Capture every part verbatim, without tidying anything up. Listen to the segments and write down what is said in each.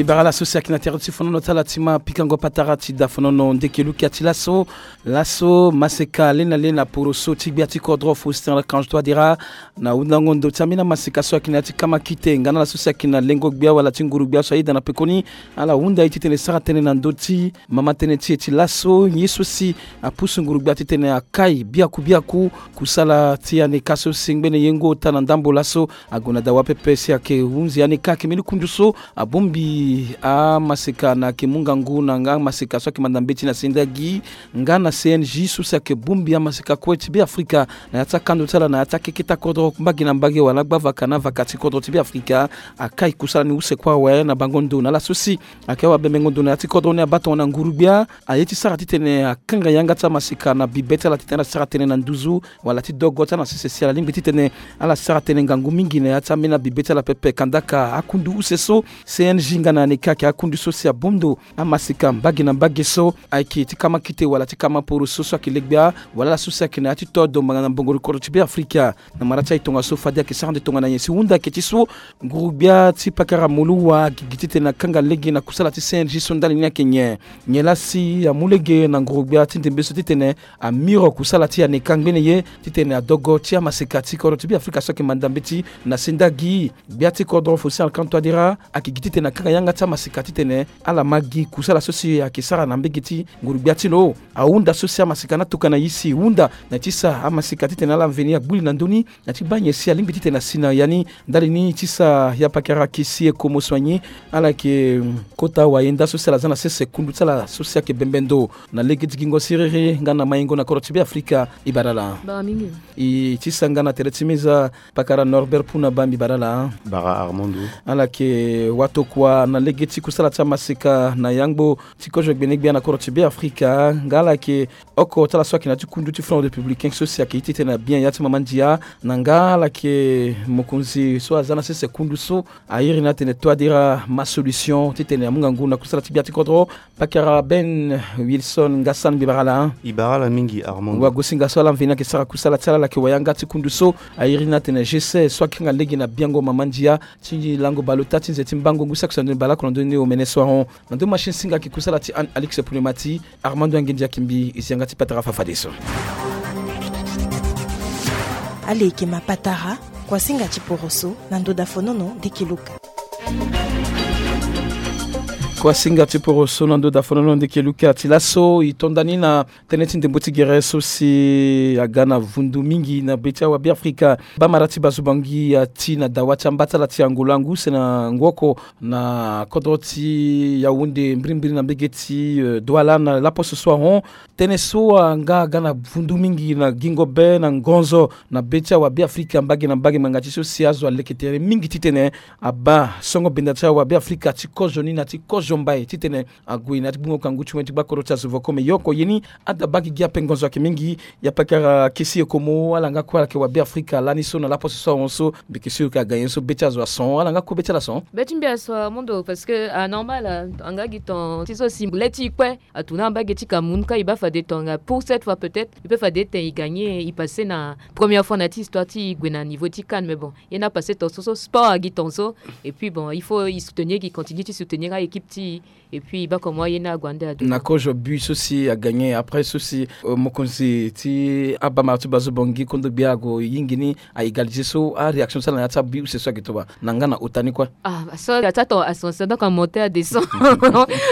Ibara laso si ayeke na tere ti fonono ti ala ti ma pikango patara ti da fonono ndeke lukia ti laso. Laso maseka lena lena poroso ti gbia ti kodro Faustin Archange Touadéra na hundango ndo ti ambeni amaseka so ayeke na ya ti kama kite nga na ala so si ayeke na lengo gbia wala ti nguru gbia so ayeda na pekoni. Ala hunda ye titene sara tënë na ndö ti mama tënë ti e ti laso ye so si apusu nguru gbia titene akai biaku biaku kusala ti aneka so si ngbene ye ngu ota na ndambo laso. Ague na dawa pepe si ayeke hunzi aneka ayeke mbeni kundu so abongbi amaseka na ayeke mu ngangu na nga amaseka so ayeke manda mbeti na sendagi nga na C N J so si ayeke bongbi amaseka kue ti Beafrika na ya ti akando ti ala na ya ti akeketa kodro mbage na mbage wala gbavaka na vaka ti kodro ti Beafrika. Akai kusala ni use kue awe na bango ndo na ala so si ayeke awa bembengo ndo na ya ti kodro ni abaa tongana nguru gbia aye ti sara titene akanga yanga ti amaseka na bibe ti ala titene ala sara tënë na nduzu wala ti dogo ti ala na sese si ala lingbi titene ala sara tënë ngangu mingi na ya ti ambeni abibe ti ala pepe kandaka akundu use so C N J nga na aneka ayeke akundu so si abongbi amaseka mbage na mbage so ayeke ti kama kite wala ti kama poroso so ayeke legbia wala ala so si ayeke na ya ti todo mbanga na mbongoro kodro ti Beafrika. Na mara ti aye tongaso fade ayeke sara nde tongana nyen si hunda ayeke ti so nguru gbia ti pakara moluwa agigi titene akanga lege na kusala ti C N J so ndali ni ayeke nyen? Nyen laa si amu lege na nguru gbia ti ndembe so titene amiro kusala ti aneka ngbene ye titene adogo ti amaseka ti kodro ti Beafrika so ayeke manda mbeti na sendagi? Gbia ti kodro Faustin Archange Touadéra ayeke gi titene akanga yanga ti amaseka titene ala ma gi kusala so si ayeke sara na mbage ti nguru gbia ti lo. Ahunda so si amaseka ni atokua na e si hunda na ya ti sa amaseka titene ala mveni agbu li na ndö ni na ya ti baa nyen si alingbi titene asi na ya ni. Ndali ni ti sa ya pakara kisi e komo soigné ala yeke, mm, kota wayenda so si ala za na sese kundu ti ala so si ayeke bembe ndo na lege ti gingo siriri nga na maingo na kodro ti Beafrika. Ibara ala. Bara mingi. E ti sa nga na tere ti meza pakara Norbert Puna Bambi bara ala. Bara Armando. Ala yeke watokua na lege ti kusala ti amaseka na yangbo ti kozo gbene gbia na kodro ti Beafrika nga ala yeke oko ti ala so ayeke na ya ti kundu ti Front Républicain so si ayeke ye titene abia ya ti mama ndia na nga ala yeke mokonzi so aza na sese kundu so airi ni atene Touadéra ma solution titene amu ngangu na kusala ti gbia ti kodro. Pakara Ben Wilson Ngassan, mbi bara ala. Ibara ala mingi Armando. Wagosinga so ala mveni ayeke sara kusala ti ala, ala yeke wayanga ti kundu so airi ni atene G C so akanga lege na biango mama ndia ti lango baleota ti nze ti mbango ngu saki so na ndoni baleoko na ndoni omene so ahon. Na ndö machine singa ayeke kusala ti Anne Alix Poulemati. Armando Angindia Kimbi, e si yanga ti patara fafadeso. Ala yeke ma patara, kuasinga ti poroso na ndo da fonono ndeke luka. Kuasinga ti poroso na ndo da fonono ndeke luka ti laso e tonda ni na tënë ti ndembo ti gere so si aga na vundu mingi na be ti awa Beafrika. Bamara ti Bazubangi ati na dawa ti amba ti ala ti Angola ngu use na ngu oko na kodro ti Yaoundé mbirimbiri na mbege ti, euh, Douala na laposo so ahon. Tënë so anga aga na vundu mingi na gingo be na ngonzo na be ti awa Beafrika mbage na mbage ngbanga ti so si azo aleke tere mingi titene abaa songo benda ti awa Beafrika ti kozo ni na ti kozo mbai titene ague na ya ti gbungo kangu ti wen ti gba kodro ti azo voko me yoko ye ni ada baa gigi ape ngonzo ayeke mingi. Ya pakara kesi e komo ala nga kue ala yeke wa Beafrika lani so na laposo so ahon so. Mbi yeke sûr que aga nyen so be ti azo ason ala nga kue be ti ala son. Be ti mbi ason Armando parce que anormal, anga gi ton ti so si le ti e kue atourna na mbage ti Cameroun ka e baa fade tongana pour cette fois peut-être e peut fade ete e gagner e passer na première fois na ya ti histoire ti e gue na niveau ti CAN. Mais bon, ye ni apasser ton so so sport agi ton so. Et puis bon, il faut e soutenir gi continue ti soutenir a-équipe ti e. Et puis e baa comment ye ni ague ande ado na kozo but so si agagner après so si, euh, mokonzi ti abamara ti Bazubangi kondo gbia ague yingi ni a égaliser so aréaction ti ala na ya ti abut use so ayeke toba na nga na ota ni kue. Ah, so ya ti ato ascension donc amonter adescend.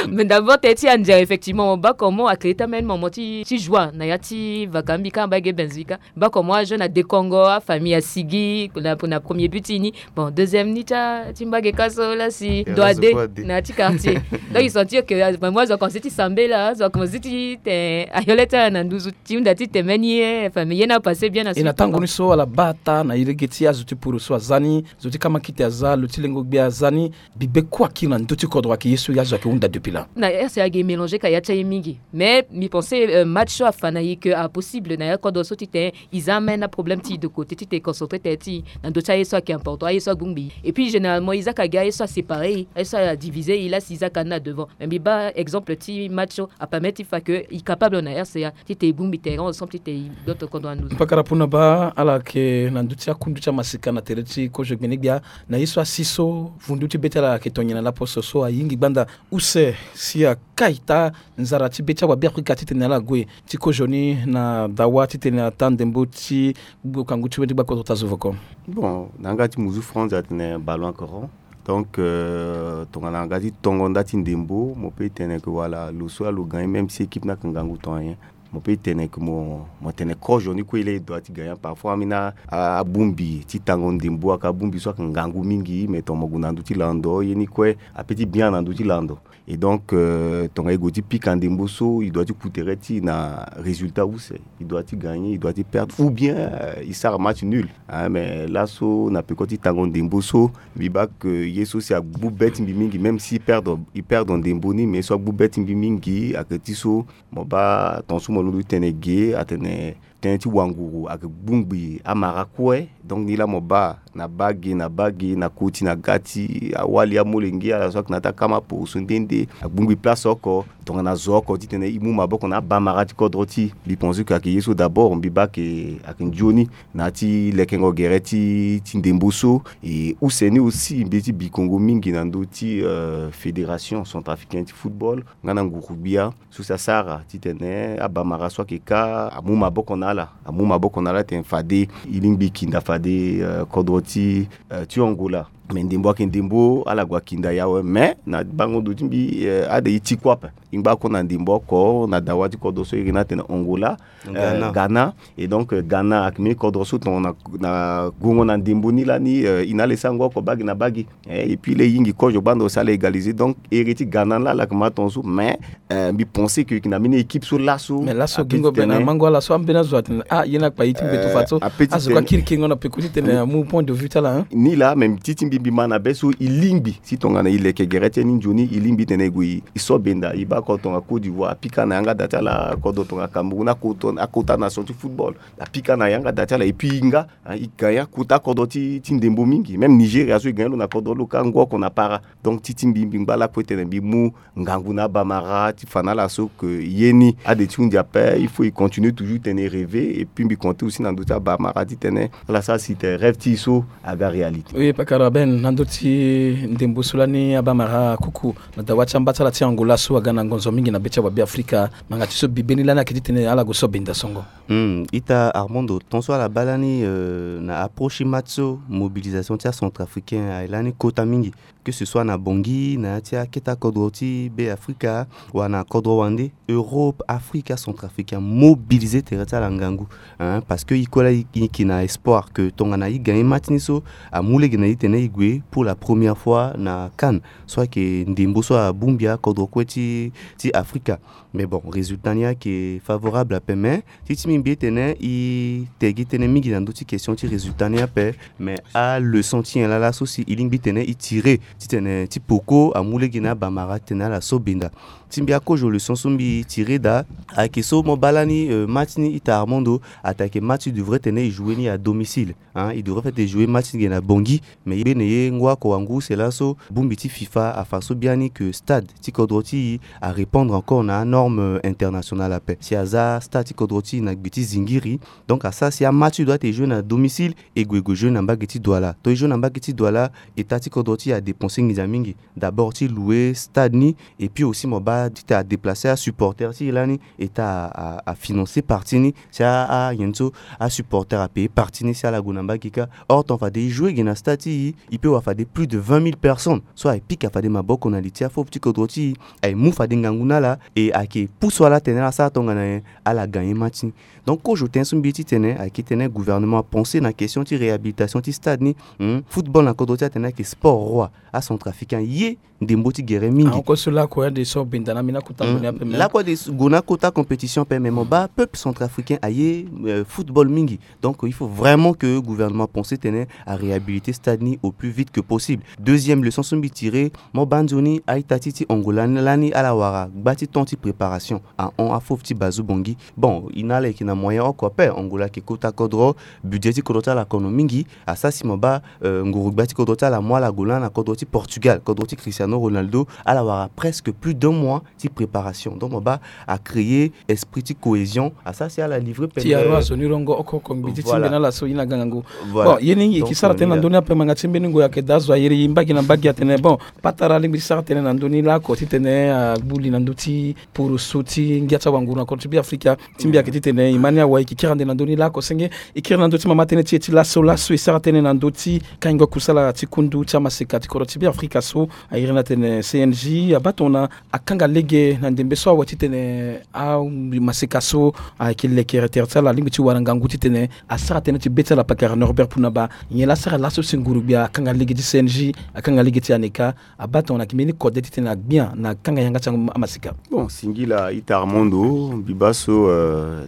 Mais d'abord tënë ti andia effectivement mo baa comment acréer ti ameni moment ti, ti joie na ya ti vaka mbi ka mbage Benfica. Baa comment ajeune adekongo afamille asigi na, na premier but ti e ni. Bon, deuxième ni ti a, ti mbage ka so la si doit de na ya ti quartier. Donc il sentir que, euh, moi azo akomense ti sambela, azo akomense ti te ayole ti ala na nduzu ti hunda ti tene ni ye famille ye ni apasser bien na e na tango ni so ala baa ata na e lege ti azo ti poro so aza ni, zo ti kamakite aza, lo ti lengo gbia aza ni. Bibe kue akiri na ndö ti kodro ayeke ye so azo ayeke hunda depuis là. Na ese ayeke mélanger ka ya ti aye mingi. Mais mbi pense, euh, match so afa na e que apossible na ya kodro so titene e za même na problème ti e de côté titene e concentré tënë ti e na ndö ti aye so ayeke important, aye so abongbi e. Et puis généralement e za ka gi aye so aséparé e, aye so adivisé e la si e za Kani na devant, mais mbi baa exemple ti match so apermettre ti fa ke i capable na R C A ti te i bongbi terrain ensemble ti te i doto kodro anu. Pakara puna baa ala yeke na ndö ti akundu ti amasika na tere ti kozo gbene-gbia. Na ye so asi so vundu ti be ti ala ayeke tonye na laposo so ayingi gbanda use si akai taa nzara ti be ti awabe Afrika titene ala gue ti kozo ni na dawa titene ataa ndembo ti gbokangu ti wende gbakodro ta zo voko. Bon, na yanga ti muzu France atene ballon coron. Donc euh, tongana nga ti tongo nda ti ndembo mo pe tene ke wala lo so alo gagner même si équipe ni ayeke ngangu ton ayen. Mo pe tene ke mo mo tene kozo ni kue laa e doit ti gagner parfois ambeni abongbi ti tango ndembo ayeke abongbi so ayeke ngangu mingi mais ton mo gue na ndö ti lando ye ni kue ape ti bien na ndö ti lando. Et donc euh, tongana e gue ti pika ndembo so e doit ti ku tere ti e na résultat use. E doit ti gagner, e doit ti perdre ou bien euh, e sara match nul. Hein, mais laso na peko ti tango ndembo so mbi baa ke ye so si agbu be ti mbi mingi même si e perdre e perdre ndembo ni mais so agbu be ti mbi mingi ayeke ti so mo baa ton so mo londo ti tene ge atene tënë ti wanguru ayeke gbungbi amara kue. Donc ni laa mo baa na baa ge na baa ge na koti na ga ti awali amolenge ala so ayeke na ya ti akama poroso nde nde agbungbi place oko tongana zo oko titene e mu maboko na abamara ti kodro ti e. Mbi pense ke ayeke ye so d'abord mbi baa ke ayeke nzoni na ya ti lekengo gere ti ti ndembo so. E use ni aussi mbi ye ti bi kongo mingi na ndö ti euh, fédération centrafricaine ti football nga na nguru-gbia so si asara titene abamara so ayeke kâ amu maboko na ala amu maboko na ala titene fade e lingbi kinda fade euh, kodro ti euh, ti Angola. Mais ndembo ayeke ndembo ala gue akinda ye awe mais na bango ndo ti mbi euh, ade e ti kue ape. E ngba kue na ndembo oko na dawa ti kodro so e yeke ni atene Angola. Ghana. Euh, Ghana. Et donc euh, Ghana ayeke mbeni kodro so tongana na gongo na ndembo ni lani euh, e na ala e sara ngu oko bagi na bagi. Eh, et puis laa e yingi kozo gbanda aussi ala égaliser donc ere ti Ghana ni laa ala yeke ma tongaso mais euh, mbi pense ke e yeke na mbeni équipe so laso. Mais laso gingo be na mango ala so ambeni azo atene ah ye ni akpa ye ti mbeto fa so azo kue akiri kengo na peko titene amu point de vue ti ala hein. Ni laa même ti ti mbi mbi ma na be so e lingbi si tongana e leke gere ti e ni nzoni e lingbi titene e gue e so benda e baa kodro tonga Côte d'Ivoire apika na yanga da ti ala kodro tonga Cameroun akota akota nation ti football apika na yanga da ti ala et puis e nga hein, e gagner akota kodro ti ti ndembo mingi même Nigeria so e gagner lo na kodro lo kâ ngu oko na para. Donc ti ti mbi mbi ngba lakue titene mbi mu ngangu na abamara ti fa na ala so ke ye ni ade ti hunzi ape il faut e continuer toujours titene e rêver et puis mbi compter aussi na ndö ti abamara titene ala sara si titene rêve ti e so aga réalité. Oui pakara Ben na ndö ti ndembo so lani abamara kuku na dawa ti amba ti ala ti Angola so aga na ngonzo mingi na be ti awabe Afrika ngbanga ti so bibe ni lani ayeke titene ala gue so benda songo. Hmm, ita Armando ton so ala baa lani euh, na approche ti match so mobilisation ti acentrafricain aye lani kota mingi. Que ce soit na Bangui na ya ti akete akodro ti be Afrika wala na kodro wande Europe Afrika centrafricain mobiliser tere ti ala ngangu. Hein, parce que e kue laa e yeke na espoir que tongana e gagner match ni so amu lege na e titene e gue pour la première fois na CAN so ayeke ndembo so abongbi akodro kue ti ti Afrika. Mais bon résultat ni ayeke favorable ape mais ti ti mbi mbi tene e tegi tënë mingi na ndö ti question ti résultat ni ape. Mais aleçon ti nyen laa laso si e lingbi tene e tire titene ti poko amu lege na abamara titene ala so benda. Ti mbi akozo leçon so mbi tire daa ayeke so mo baa lani euh, match ni ita Armando atake match e devrait tene e jouer ni à domicile. Hein, e devrait fait e jouer match ni ge na Bangui mais e bene ye ngu oko wangu use laso bongbi ti FIFA afa so biani que stade ti kodro ti e arépondre encore na anorme euh, internationale ape si aza stade ti kodro ti e na gbe ti zingiri. Donc asara si amatch e doit e jouer na domicile e gue e gue jouer na mbage ti Douala to e jouer na mbage ti Douala état ti kodro ti e adépenser nginza mingi. D'abord ti louer stade ni et puis aussi mo baa ti te adéplacer asupporter ti e lani état a, a, a financer partie ni si a, a nyen so asupporter apayer partie ni si ala gue na mbage kâ. Or ton fade e jouer ge na stade ti e e peut wara fade plus de vingt mille personnes so aye pika fade maboko na li ti afop ti kodro ti e aye mu fade ngangu na ala et ayeke pousse ala tene ala sara tongana nyen ala gagner match ni. Donc kozo tënë so mbi ye titene ayeke titene gouvernement apenser na question ti réhabilitation ti stade ni. Hmm, football na kodro ti e atene ayeke sport roi acentrafricain ye ndembo ti gere mingi. Ahon kue so lakue ade so benda. Lakue de gue na kota compétition ape, mais mo baa peuple centrafricain aye football mingi. Donc il faut vraiment que gouvernement pense tene aréhabiliter stade ni au plus vite que possible. Deuxième leçon so mbi tire, mo baa nzoni a-ita ti ti Angola ni lani ala wara gba ti temps ti préparation ahon afauve ti Bazoum Bangui. Bon, e na ala yeke na moyen oko ape. Angola ayeke kota kodro, budget ti kodro ti ala akono mingi. Asara si mo baa nguru-gbia ti kodro ti ala amu ala gue lani na kodro ti Portugal, kodro ti Cristiano Ronaldo. Ala wara presque plus d'un mois ti préparation. Donc mo baa acréer esprit ti cohésion. Asara si ala livrer pendent ti aro azo ni rongo oko oko ngbi ti ti mbeni ala so ye na gangangu. Bon, ye ni e yeke sara tënë na ndö ni ape, ngbanga ti mbeni ngoi ayeke daa zo ayere e mbage na mbage atene bon, patara alingbi ti sara tënë na ndö ni laoko titene agbu li na ndö ti poroso ti ngia ti awanguru na kodro ti Beafrika. Ti mbi ayeke titene e ma ni awe e yeke kiri ande na ndö ni laoko senge. E kiri na ndö ti mama tënë ti e ti laso laso e sara tënë na ndö ti kaingo kusala ti kundu ti amaseka ti kodro ti Beafrika so a iri ni atene C N J abaa tongana akanga lege na ndembe so awe titene amaseka so ayeke lekere tere ti ala alingbi ti wara ngangu titene asara tënë ti be ti ala. Pakara Norbert Punaba, nyen laa asara laso si nguru-gbia akanga lege ti C N J, akanga lege ti ANECA, abaa tongana ayeke mbeni kode titene agbia na kanga yanga ti amaseka? Bon, singila ita Armando, mbi baa so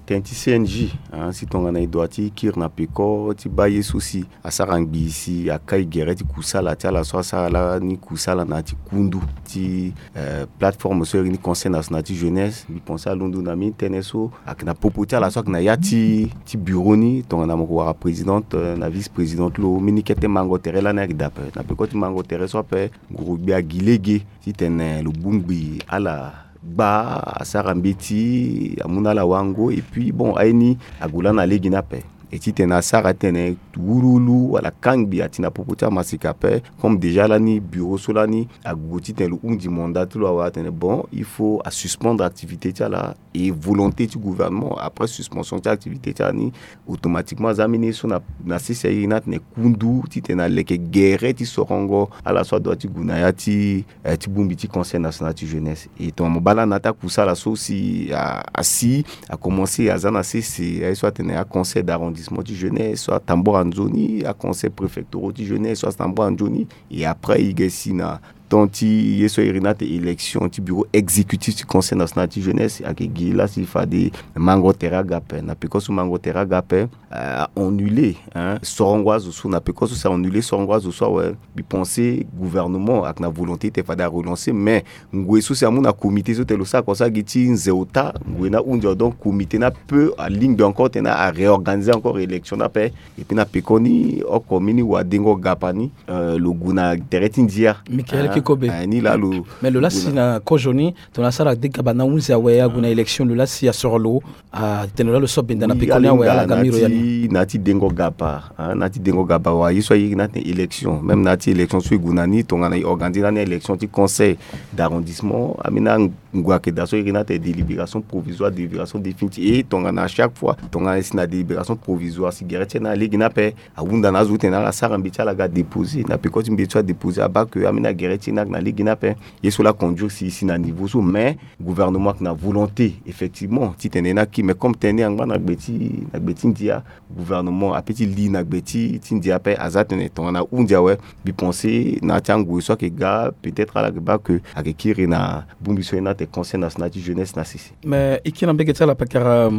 tënë ti C N J, si tongana e dua ti kiri na peko ti baa ye so si asara ngbii si akai gere ti kusala ti ala so asara lani kusala na ya ti kundu ti plateforme so iri ni Conseil National ti Jeunesse. Mbi pense alondo na mbeni tënë so ayeke na popo ti ala so ayeke na ya ti ti bureau ni, tongana mo ko wara présidente na vice-présidente lo, mbeni kete mango tere lani ayeke daa ape. Na peko ti mango tere so ape, nguru-gbia agi lege titene lo bongbi ala gba, asara mbeti, amu na ala wango. Et puis bon, aye ni ague lani na lege ni ape. E titene asara titene wuluwulu wala kangbi ati na popo ti amaseka ape. Comme déjà lani bureau so lani ague titene lo hundi mandat ti lo awe atene bon, il faut asuspendre activité ti ala. Et volonté ti gouvernement, après suspension ti activité ti ala ni, automatiquement aza mbeni ye so na sese aye ni atene kundu titene aleke gere ti sorongo ala so adua ti gue na ya ti ti bongbi ti Conseil National ti Jeunesse. E tongana mo baa lani na ya ti akusala so si asi akomanse, aza na sese aye so atene aconseil d'arrondissement ti jeunesse so atambora nzoni, aconseil préfectoraux ti jeunesse so atambora nzoni. Et après e ge si na temps ti ye so iri ni atene élection ti bureau exécutif ti Conseil National ti Jeunesse, ayeke gi laa si fade mango tere aga ape. Na peko so mango tere aga ape, a annule sorongo azo so. Na peko so si a annule sorongo azo so awe, mbi pense gouvernement ayeke na volonté ti fade arelancer, mais ngoi so si amu na comité so tene lo sara constat gi ti nze ota, ngoi ni ahunzi awe. Donc comité ni ape alingbi encore titene aréorganiser encore élection ni ape. Et puis na pekoni oko mbeni wadengo gapa ni, lo gue na tere ti ndia. Michael Kikobe, ni laa lo, mais lo laa si na kozo ni tongana asara de gaba ni ahunzi awe ague na élection, lo laa si asoro lo atene lo laa lo so benda na pekoni awe ala ga miro ya ni. Na ya ti dengo gapa, na ya ti dengo gapa wa ye so aye ni atene élection, même na ya ti élection so e gue na ni, tongana e organiser lani élection ti conseil d'arrondissement, ambeni angua ayeke daa so e iri ni atene délibération provisoire, délibération définitive. Et tongana à chaque fois tongana e si na délibération provisoire, si gere ti e ni alege ni ape, ahunda na azo titene ala sara mbeti ti ala ga déposer. Na peko ti mbeti so adéposer abaa ke ambeni agere ti e ni ayeke na lege ni ape. Ye so laa conduire si e si na niveau so, mais gouvernement ayeke na volonté effectivement titene e ni aki. Mais comme tënë ni angba na gbe ti, na gbe ti ndia, gouvernement ape ti li na gbe ti, ti ndia ape. Aza tene tongana ahundi awe, mbi pense na ya ti angoi so ayeke ga, peut-être ala yeke baa ke ayeke kiri na bongbi so e ni atene Conseil National ti Jeunesse na sese. Mais e kiri na mbege ti ala pakara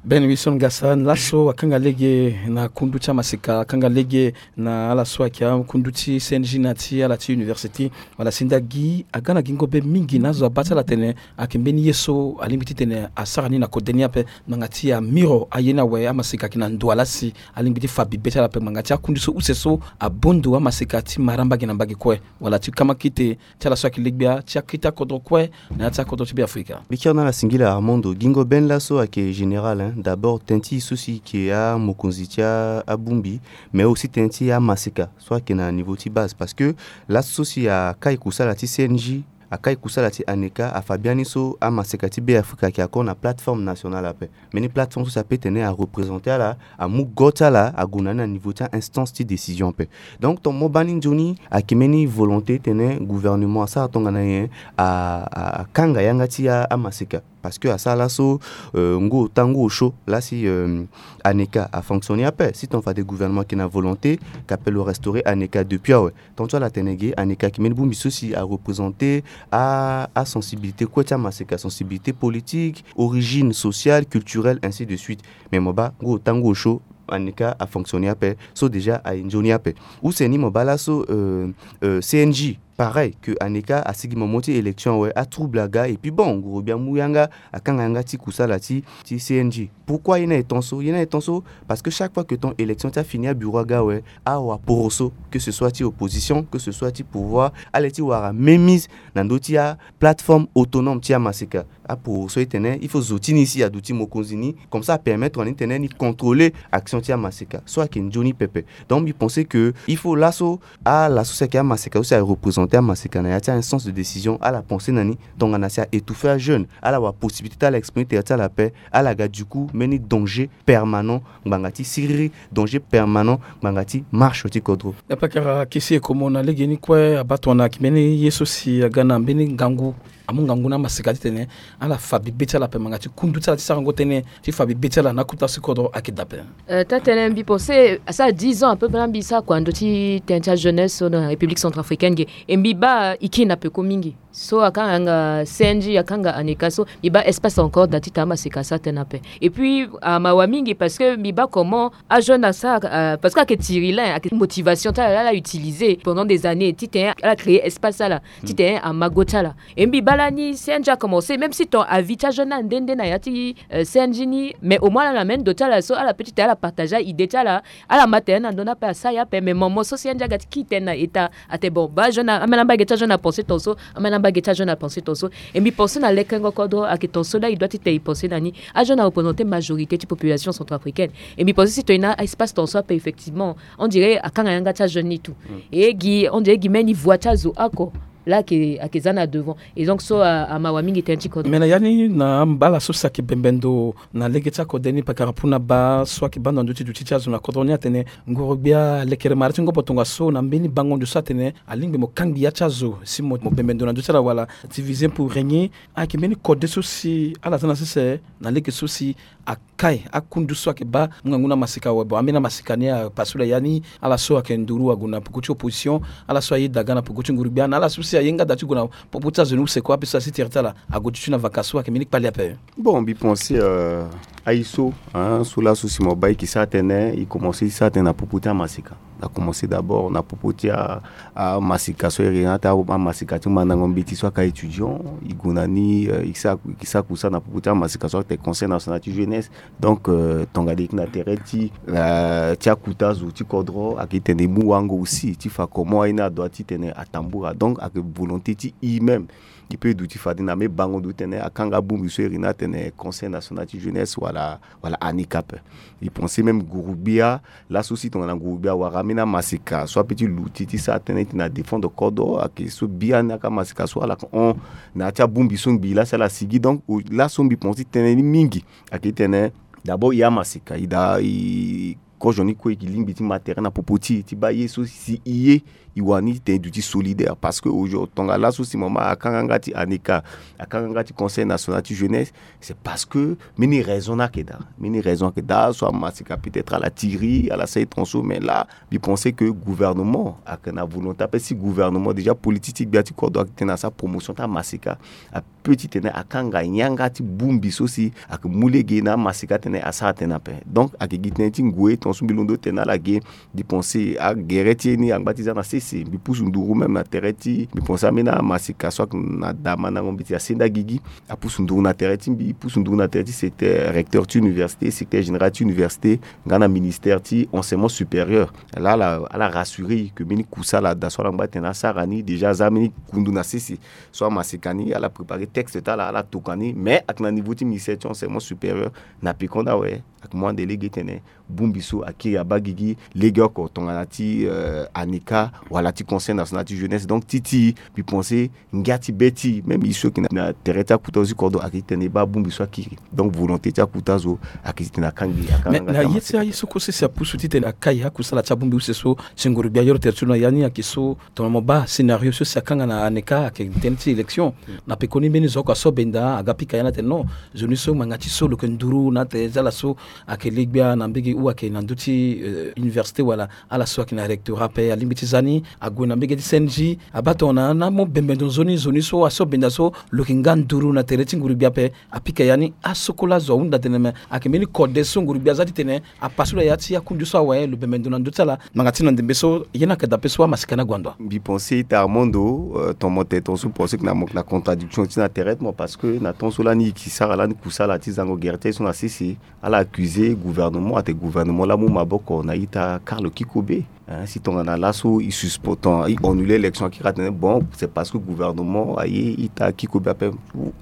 Ben Wilson Gasa, laso akanga lege na kundu ti amaseka, akanga lege na ala so ayeke akundu ti C N J na ti ala ti université. Wala si nda gi aga na gingo be mingi na azo abaa ti ala tene ayeke mbeni ye so alingbi titene asara ni na kode ni ape. Ngbanga ti amiro aye ni awe, amaseka ayeke na ndo ala si alingbi ti fa bibe ti ala ape. Ngbanga ti akundu so use so abondo amaseka ti mara mbage na mbage kue, wala ti kamakite ti ala so ayeke legbia ti akete akodro kue na ya ti akodro ti Beafrika. Mbi kiri na ala singila Armando. Gingo Ben laso ayeke général, hein. D'abord tënë ti e so si e yeke amokonzi ti abongbi, mais aussi tënë ti amaseka so ayeke na niveau ti base, parce que laso so si akai kusala ti C N J, akai kusala ti ANECA, afa biani so amaseka ti Beafrika ayeke encore na plateforme nationale ape. Mbeni plateforme so si apeut tene areprésenter ala, amu go ti ala ague na ni na niveau ti a-instance ti décision ape. Donc tongana mo baa ni nzoni, ayeke mbeni volonté titene gouvernement asara tongana nyen, a, a, akanga yanga ti a, amaseka. Parce que asara laso, euh, ngu ota ngu osio laa si, euh, ANECA afonctionner ape. Si tongana fade gouvernement ayeke na volonté, ka peut lo restaurer ANECA depuis awe. Tant so ala tene ge, ANECA ayeke mbeni bongbi so si areprésenter a, a sensibilité kue ti amaseka, sensibilité politique, origine sociale, culturelle, ainsi de suite. Mais mo baa ngu ota ngu osio, Aneka afonctionner ape. So déjà aye nzoni ape. Use ni mo baa laso, euh, euh, C N J, pareil, que Aneka asigi momo ti élection awe, atrouble aga, et puis bon, nguru gbia amu yanga, akanga yanga ti kusala ti, ti C N J. Pourquoi ye ni aye tant so? Ye ni aye tant so parce que chaque fois que ton élection ti afini, abureau aga awe, awaporo so, que ce soit ti opposition, que ce soit ti pouvoir, ale ti wara mémise na ndö ti aplateforme autonome ti amaseka. Aporo so itene il faut zo ti ni si aduti mokonzi ni, comme ça apermettre wani titene ni contrôler action ti amaseka. So ayeke nzoni pepe. Donc mbi pense que il faut laso, ala so si ayeke amaseka, so si areprésenter amaseka na ya ti a-instance de décision, ala pense na ni tongana si a-étouffer ajeune, ala wara possibilité ti ala exprimer tere ti ala ape, ala ga du coup mbeni danger permanent ngbanga ti siriri, danger permanent ngbanga ti marche ti kodro. Apakara Kisi Ekomo, na legeni kue abaa tongana ayeke mbeni ye so si aga na mbeni ngangu, amu ngangu na amaseka titene ala fa bibe ti ala ape, ngbanga ti kundu ti ala ti sarango tënë ti fa bibe ti ala na akota ti kodro ayeke daa ape. Euh, taa-tënë, mbi pense asara dix ans à peu près na mbi sara kua na ndö ti tënë ti ajeunesse so na République centrafricaine ge. E mbi baa e kiri na peko mingi. So akanga yanga C N J, akanga Aneka so, mbi baa espace encore daa titene amaseka asara tënë ape. Et puis amawa mingi parce que mbi baa comment ajeune asara, euh, parce que ayeke tiri lin, ayeke motivation ti ala, ala utiliser pendant des années titene ala créer espace ti ala, titene ama go ti ala. E mbi baa lani C N J acommencer, même si ton avis ti ajeune ni ande nde na ya ti, euh, C N J ni, mais au moins ala na même ndo ti ala so ala peut titene ala partager aidée ti ala, ala ma tene na ndö ni ape, asara ye ape. Mais moment so C N J aga ti kiri tënë na État, atene bon, baa ajeune, ambeni ambage ti ajeune apenser ton so, ambeni ambage ti ajeune apenser ton so. E mbi pense na lekengo kodro ayeke ton so laa e doit titene e pense na ni. Ajeune areprésenter majorité ti population centrafricaine. E mbi pense si ton e na espace ton so ape, effectivement, on dirait akanga yanga ti ajeune ni tout. E gi, on dirait gi mbeni voix ti azo oko laa ayeke, ayeke za na devant. Et donc so a, amawa mingi tënë ti kodro. Mais na ya ni na mbala so si ayeke bembe ndo na lege ti akode ni, pakara Puna Ba so ayeke baa ndo na ndö ti duti ti azo na kodro ni atene nguru gbia alekere mara ti ngobo tongaso na mbeni bango ndo so atene alingbi mo kangbi ya ti azo si mo, mo bembe ndo na ndö ti ala wala diviser pour régner. Ayeke mbeni kode so si ala za na sese na lege so si akai akundu so ayeke baa mu ngangu na amaseka awe. Bon, ambeni amaseka ni apasu la ya ni, ala so ayeke nduru ague na peko ti opposition, ala so ayeda aga na peko ti nguru gbia, na ala so si aye nga daa ti gue na popo ti azo ni use kue ape so asi tere ti ala ague ti tû na vaka so ayeke mbeni kpali ape. Bon, mbi pense, euh, aye so, hein, so laso si mo baa e yeke sara tënë, e commencer ti sara tënë na popo ti amaseka. Na commencer d'abord na popo ti a, amaseka so e iri na ata amaseka ti mandango mbeti so aka étudiant, e gue na ni, euh, e sara, e sara kusala na popo ti amaseka so atene Conseil national ti jeunesse. Donc, euh, tongana e yeke na tere ti, euh, ti akuta zo ti kodro, ayeke tene e mu wango aussi ti fa comment aye ni adoit titene atambula. Donc ayeke volonté ti e même. E peut duti fade na me bango ndo titene akanga bongbi so e iri ni atene Conseil national ti jeunesse wala, wala Aneka ape. E pense même nguru gbia, laso si tongana nguru gbia awara ambeni amaseka so apeut ti luti ti sara tënë titene adéfendre kodro, ayeke so biani aka amaseka so ala yeke hon na ya ti abongbi so ngbii laa si ala sigi. Donc laso mbi pense ti tënë ni mingi ayeke titene d'abord e amaseka e daa e kozo ni kue e yeke lingbi ti ma tere na popo ti e ti baa ye so si e ye e wani titene e duti solidaire. Parce que aujourd'hui tongana laso si mama akanga nga ti Aneka, akanga nga ti Conseil national ti jeunesse, c'est parce que mbeni raison ni ayeke daa. Mbeni raison ayeke daa, so amaseka peut-être ala tiri, ala sara e ton so, mais là mbi pense que gouvernement ayeke na volonté ape. Si gouvernement déjà politique ti gbia ti kodro ayeke tene asara promotion ti amaseka, apeut titene akanga yanga ti bongbi so si ayeke mu lege na amaseka titene asara tënë ape. Donc ayeke gi tënë ti ngoi ton so mbi londo tene na ala ge. Mbi pense agere ti ye ni angba ti za na sese. Mbi pusu nduru même na tere ti, mbi pense ambeni amaseka so ayeke na daa mandango mbeti asenda gigi, apusu nduru na tere ti mbi, pusu nduru na tere ti secteur, recteur ti université, secteur général ti université, nga na ministère ti enseignement supérieur. Laa ala, ala rassurer e que mbeni kusala daa so ala ngba tene asara ni déjà aza mbeni kundu na sese. So amaseka ni ala préparer texte ti ala, ala toka ni, mais ayeke na niveau ti ministère ti enseignement supérieur. Na pekoni awe ayeke mu ande lege titene bongbi so akiri abaa gigi legeoko tongana ti, euh, Aneka wala ti Conseil national ti jeunesse. Donc ti ti mbi pense ngia ti be ti même e so ayeke na, na tere ti akuta zo ti kodro ayeke titene e baa bongbi so akiri. Donc volonté ti akuta zo ayeke titene akangbi, akangbi. Mais na ye ti aye so kue sese apusu titene akai akusala ti abongbi use so si nguru gbia ayoro tere ti lo na ya ni ayeke so, tongana mo baa scénario so si akanga na Aneka ayeke tënë ti élection. Na pekoni mbeni zo oko aso benda aga pika ya ni atene non, zo ni so ngbanga ti so lo yeke nduru na atene ti ala so ayeke le gbia na mbege ou ayeke na ndö ti, euh, université wala ala so ayeke na rectorat ape alingbi ti za ni, Ague na mbege ti C N J, abaa tongana na mo bembe ndo nzoni nzoni so aso benda so lo yeke nga nduru na tere ti nguru-gbia ape. Apika ya ni asokolo azo ahunda tene me ayeke mbeni kode so nguru-gbia aza titene apasu lo ya ti akundu so awe lo bembe ndo na ndö ti ala. Ngbanga ti na ndembe so ye ni ayeke dape so amasika ni ague na ndo. Mbi pense ita Armando, euh, ton mo tene ton so pense que na mo yeke na contradiction ti na tere ti mo parce que na temps so lani e yeke sara lani kusala ti zango gere ti aye so na sese. Ala accuse gouvernement ate gouvernement laa amu maboko na ita Karl Kikobe. Hein, si tongana laso e suspend ton e annule élection akiri atene bon c'est parce que gouvernement aye ita Kikobe ape.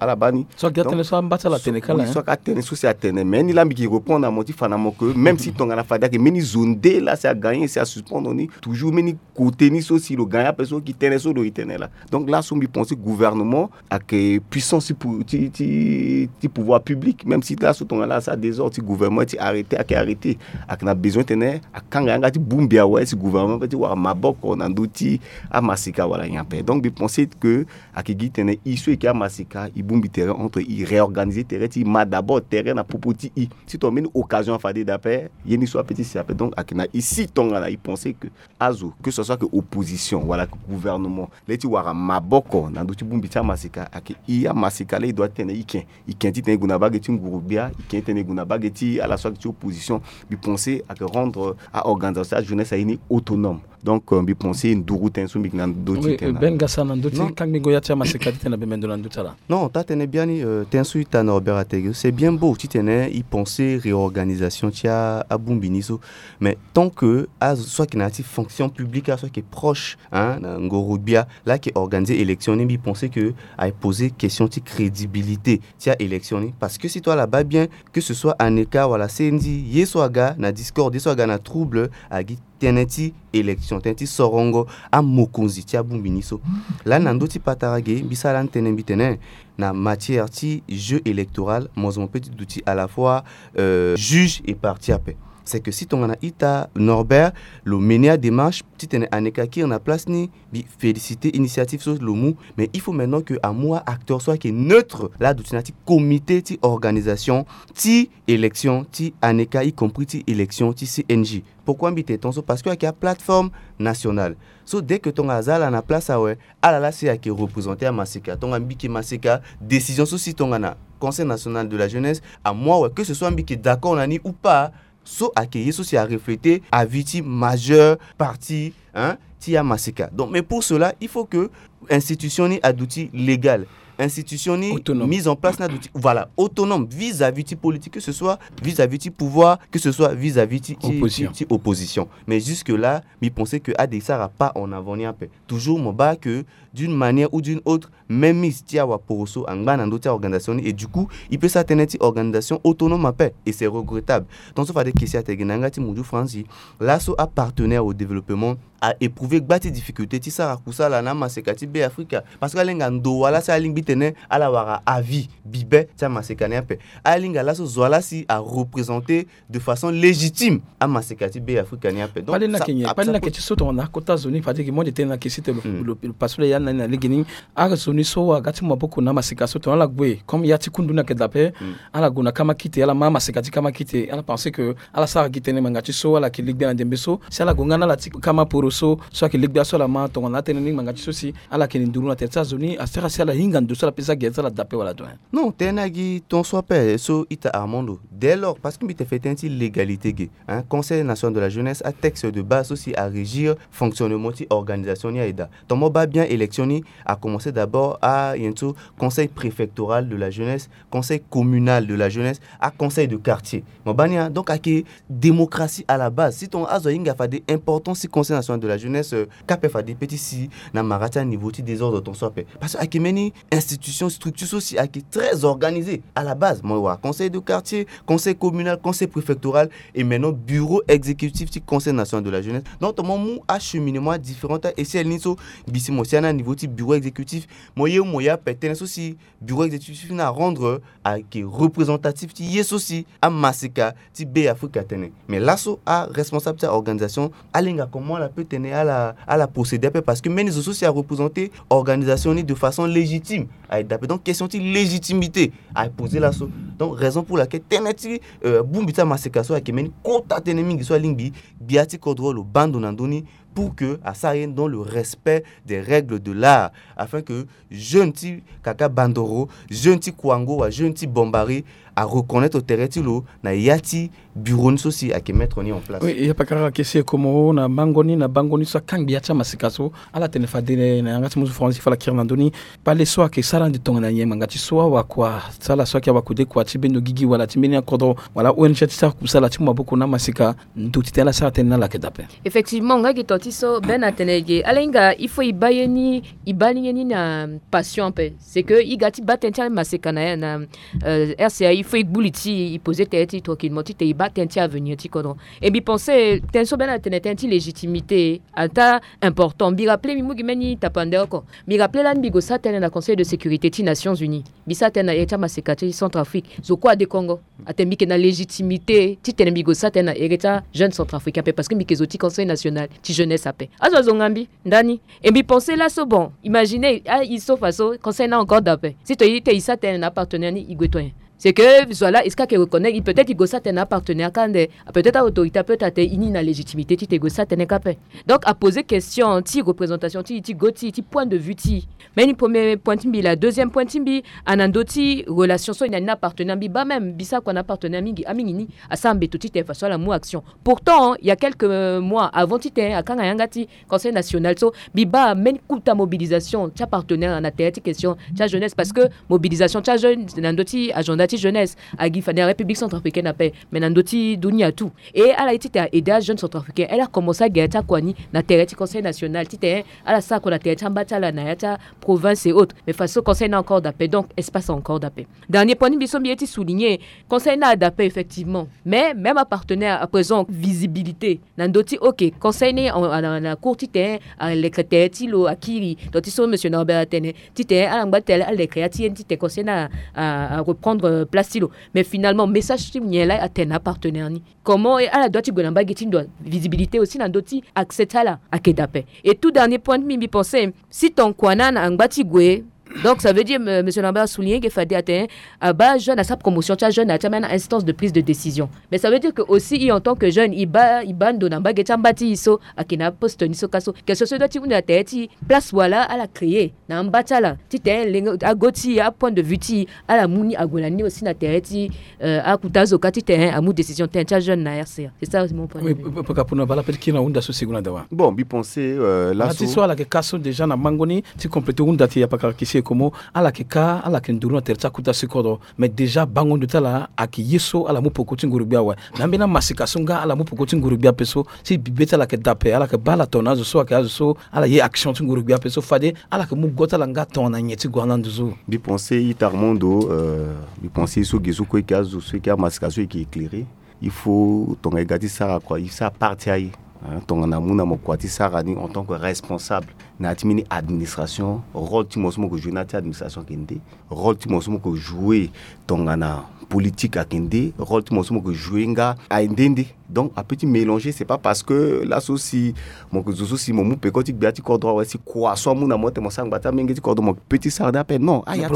Ala baa ni. So ake atene so amba ti ala atene kala, so ake atene so si atene mais ni laa mbi yeke répondre na mo ti fa na mo que même si tongana fade ayeke mbeni zo nde laa si agagner si asuspendre ni toujours mbeni côté ni so si lo gagner ape so ki tene so lo e tene laa. Donc laso mbi pense gouvernement ayeke puissance ti pou- ti ti ti pouvoir public même si laso tongana asara désordre ti gouvernement ti arrêter ayeke arrêter. Ayeke na besoin titene akanga yanga ti bongbi awe si gouvernement ape ti wara maboko na ndö ti amasika wala nyen ape. Donc mbi pense que ayeke gi titene e so e yeke amasika e bongbi tere entre e réorganiser tere ti e ma d'abord tere na popo ti e. Si tongana mbeni occasion afade dape ye ni so ape ti si ape donc ayeke na e si tongana e pense que azo que ce soit que opposition wala que gouvernement le ti wara maboko na ndö ti bongbi ti amasika ayeke e amasika le e doit titene e ken e ken titene e gue na bage ti nguru-gbia e ken titene e gue na bage ti ala so ayeke ti opposition. Mbi pense ayeke rendre aorganisation ti ajeunesse aye ni autonome. Donc euh, mbi pense nduru tënë so mbi yeke na ndö ti tene. Ben gasa na ndö ti kangbingo ya ti amasika titene abembe ndo na ndö ti ala. Non taa tënë biani euh, tënë so ita Norbert atene c'est bien beau titene e pense réorganisation ti abongbi ni so. Mais tant que azo so ayeke na ya ti fonction publique azo so ayeke proche hein, na ngoro-gbia laa ayeke organiser élection ni mbi pense que ayeke poser question ti crédibilité ti aélection ni parce que si to ala baa bien que ce soit ANECA wala C N J ye so aga na discorde ye so aga na trouble agi tënë ti élection tënë ti sorongo amokonzi ti abongbi ni so. Lani na ndö ti patara ge mbi sara lani tënë mbi tene na matière ti jeu électoral mo zo mo pe ti duti à la fois euh, juge et partie ape. C'est que si tongana ita Norbert lo mené adémarche titene ANECA akiri na place ni mbi féliciter initiative so lo mu. Mais il faut maintenant que amu aacteur so ayeke neutre laa aduti na ya ti comité ti organisation ti élection ti ANECA y compris ti élection ti C N J. Pourquoi mbi tene tongaso? Parce que ayeke aplateforme nationale. So dès que tongana aza ala na place awe ala laa si ayeke représenter amaseka tongana mbi yeke maseka décision so si tongana Conseil national de la jeunesse amu awe que ce soit mbi yeke d'accord na ni ou pas. So ayeke ye so si arefléter avis ti majeure partie hein, ti amaseka. Donc mais pour cela il faut que institution ni aduti légale, institution ni mise en place ni aduti voilà autonome vis-à-vis ti politique que ce soit vis-à-vis ti pouvoir que ce soit vis-à-vis ti ti- ti- ti opposition. Mais jusque là mbi pense que ade e sara pas en avant ni ape. Toujours mo baa que d'une manière ou d'une autre même mise ti awaporo so angba na ndö ti aorganisation ni et du coup e peut sara tënë ti organisation autonome ape. Et c'est regrettable. Tongaso fade kesi atene gi na yanga ti mudu franzi laso apartenaire au développement a éprouver gba ti difficulté ti sara kusala na amaseka ti Be Afrika. Parce que alinga ndo wala si alingbi tene ala wara avis bibe ti amaseka ni ape. Alinga laso zo wala si areprésenter de façon légitime amaseka ti Be Afrika ni ape. Donc pali na ke nyen pali na ke ti so tongana akota zo ni fade ke mo de tene na ke si te lo paso le ya na ni na legeni. Azo ni so aga ti mu maboko na amaseka so tongana ala gue comme ya ti kundu ni ayeke dape ala gue na kama kite ala ma amaseka ti kama kite ala pense que ala sara gi tënë ngbanga ti so ala yeke legbe na ndembe so si ala gue nga na ala ti kama poro so so ayeke legbe aso ala ma tongana atënë ni ngbanga ti so si ala yeke ni nduru na tere ti azo ni asara si ala hinga ndo so ala pesa gere ti ala dape wala doyen. Non tënë ni agi ton so ape so ita Armando dès lors parce que mbi te fait tënë ti légalité ge hein, Conseil national de la jeunesse atexte de base so si arégir fonctionnement ti organisation ni aye daa. Ton mo baa bien élection ni a commencé d'abord a yen so conseil préfectoral de la jeunesse, conseil communal de la jeunesse, aconseil de quartier. Mo baa ni a donc ayeke démocratie à la base. Si tongana azo ahinga fade importance ti Conseil national de la jeunesse euh, kape fade pe ti si na mara ti aniveau ti désordre ton so ape. Parce que ayeke mbeni institution structure so si ayeke très organisé à la base. Mo wara conseil de quartier, conseil communal, conseil préfectoral et maintenant bureau exécutif ti Conseil national de la jeunesse. Donc ton mo mu acheminement différent ti a échelle ni so mbi si mo sia na niveau ti bureau exécutif. Mo ye mo ye ape tënë so si bureau exécutif ni arendre ayeke représentatif ti ye so si amaseka ti Be Afrika atene. Mais laso aresponsable ti aorganisation alinga comment ala peut tene ala ala procéder ape parce que mbeni zo so si areprésenter organisation ni de façon légitime aye dape. Donc question ti légitimité aye poser laso. Donc raison pour laquelle tënë ti euh, bongbi ti amaseka so ayeke mbeni kota tënë mingi so alingbi gbia ti kodro lo baa ndo na ndö ni. pour que asara ye dans le respect des règles de l'art, afin que jeune ti Kaka Bandoro, jeune ti Kouango, wa jeune ti Bombari, areconnaitre tere ti lo na ya ti bureau ni so si ayeke mettre ni en place. Oui, ya pakara kesi e komo na bango ni, na bango ni so akangbi ya ti amasika so. Ala tene fade na yanga ti musu France ti fa ala kiri na ndö ni. Pale so ayeke sara ande tongana nyen ngbanga ti so awakua, sala so ayeke awakua de kua ti mbeni ogigi wala ti mbeni akodro wala O N G ti sara kusala ti mu maboko na amasika, ndo ti tene ala sara tënë ni ala yeke daa ape. Effectivement, nga gi to ti so Ben atene ge, ala hinga il faut e baa ye ni, e baa ni ye ni na passion ape. C'est que e ga ti baa tënë ti amaseka na, na euh, R C A, il faut e gbu li ti e, e poser tënë ti e tranquillement, titene e baa tënë ti avenir ti kodro. Et mbi pense tënë so Ben atene, tënë ti légitimité, ataa important. Mbi rappeler, mbi mu gi mbeni tapande oko. Mbi rappeler lani mbi gue sara tënë na Conseil de sécurité ti Nations Unies. Mbi sara tënë na ere ti amaseka ti Centrafrique. Zo kue ade kongo. Atene mbi yeke na légitimité titene mbi gue sara tënë na ere ti ajeune centrafricain ape, parce que mbi yeke zo ti Conseil national ti jeunesse ape. Azo, azo nga mbi ndani. Et mbi pense laso, bon, imagine, ah, e so faso, Conseil ni encore daa ape. Si to e, titene e sara tënë na apartenaire ni, e gue to nyen? C'est que zo laa, est-ce que ayeke reconnaître, e peut-être e gue sara tënë na apartenaire kâ ande, peut-être a-autorité apeut atene e ni na légitimité titene e gue sara tënë kâ ape. Donc aposer question ti représentation ti e, ti go ti e, ti point de vue ti e. Mbeni premier point ti mbi laa. Deuxième point ti mbi, ana ndö ti relation so e na ni na apartenaire. Mbi baa même, mbi sara kua na apartenaire mingi, amingi ni asara mbeto titene faso ala mu action. Pourtant, il y a quelques mois, avant titene akanga yanga ti Conseil national so, mbi baa mbeni kota mobilisation ti apartenaire na tere ti question ti ajeunesse, parce que mobilisation ti ajeune na ndö ti agenda ti jeunesse agi fa na République centrafricaine ape, mais na ndö ti dunia tout. Et ala ye titene a aider ajeune centrafricain, ala commencer agi ya ti akua ni na tere ti Conseil national, titene ala sara kua na tere ti amba ti ala na ya ti aprovince et autres. Mais faso Conseil ni encore daa ape, donc espace encore daa ape. Dernier point ni mbi so mbi ye ti souligner, Conseil ni ada ape effectivement. Mais même apartenaire, à présent, visibilité na ndö ti, ok, Conseil ni en, en, en cours titene alekre tere ti lo akiri. Donc ti so monsieur Norbert atene titene ala ngba ti tene alekre ya ti ye ni titene Conseil ni a, a, a reprendre, euh, place ti lo. Mais finalement message ti nyen laa atene na apartenaire ni? Comment ala doit ti gue na mbage ti ndo? Visibilité aussi na ndö ti accès ti ala ayeke daa ape. Et tout dernier point ti mbi, mbi pense, si ton kua ni angba ti gue, donc ça veut dire, euh, monsieur Lambert a souligné que fade atene, euh, abaa jeune, asara promotion ti ajeune na ya ti ambeni instance de prise de décision. Mais ça veut dire que aussi, e en tant que jeune, e baa, e baa ndo na mbage ti amba ti e so ayeke na aposte ni so ka so. Question so e doit ti hunda na tere ti place wala ala créer na amba ti ala titene lenge ago ti e, apoint de vue ti e, ala mu ni ague na ni aussi na tere ti, euh, akuta azo ka titene amu décision tënë ti ajeune na R C A. C'est ça mon point de vue. Oui, pakapuna bala peut-être kiri na hunda so seconde na dawa. Bon, mbi pense, euh, laso ti so ala yeke ka so déjà na mango ni ti compléter hunda ti ya pakara kisi e komo, ala yeke ka, ala yeke nduru na tere ti akuta si kodro. Mais déjà bango ndo ti ala ayeke ye so ala mu peko ti nguru gbia awe. Na ambeni amasika so nga ala mu peko ti nguru gbia ape so, si bibe ti ala yeke daa ape, ala yeke baa ala tongana azo so ayeke azo so ala ye action ti nguru gbia ape so fade ala yeke mu go ti ala nga tongana nyen ti gue na ndo so. Mbi pense ita Armando, euh, mbi pense ye so ge so kue e yeke azo so e yeke amasika so e yeke éclairer. Il faut tongana e ga ti sara kua, e sara part ti aye, hein, tongana amu na mo kua ti sara ni en tant que responsable na ya ti mbeni administration, rôle ti mo so mo yeke jouer na ya ti administration ayeke nde. Rôle ti mo so mo yeke jouer tongana politique ayeke nde. Rôle ti mo so mo yeke jouer nga aye nde nde. Donc apeut ti mélanger. C'est pas parce que laso si mo yeke zo so si mo mu peko ti gbia ti kodro awe, si kua so amu na mo titene mo sara ngba ti amenge ti kodro, mo peut ti sara ni ape. Non, aya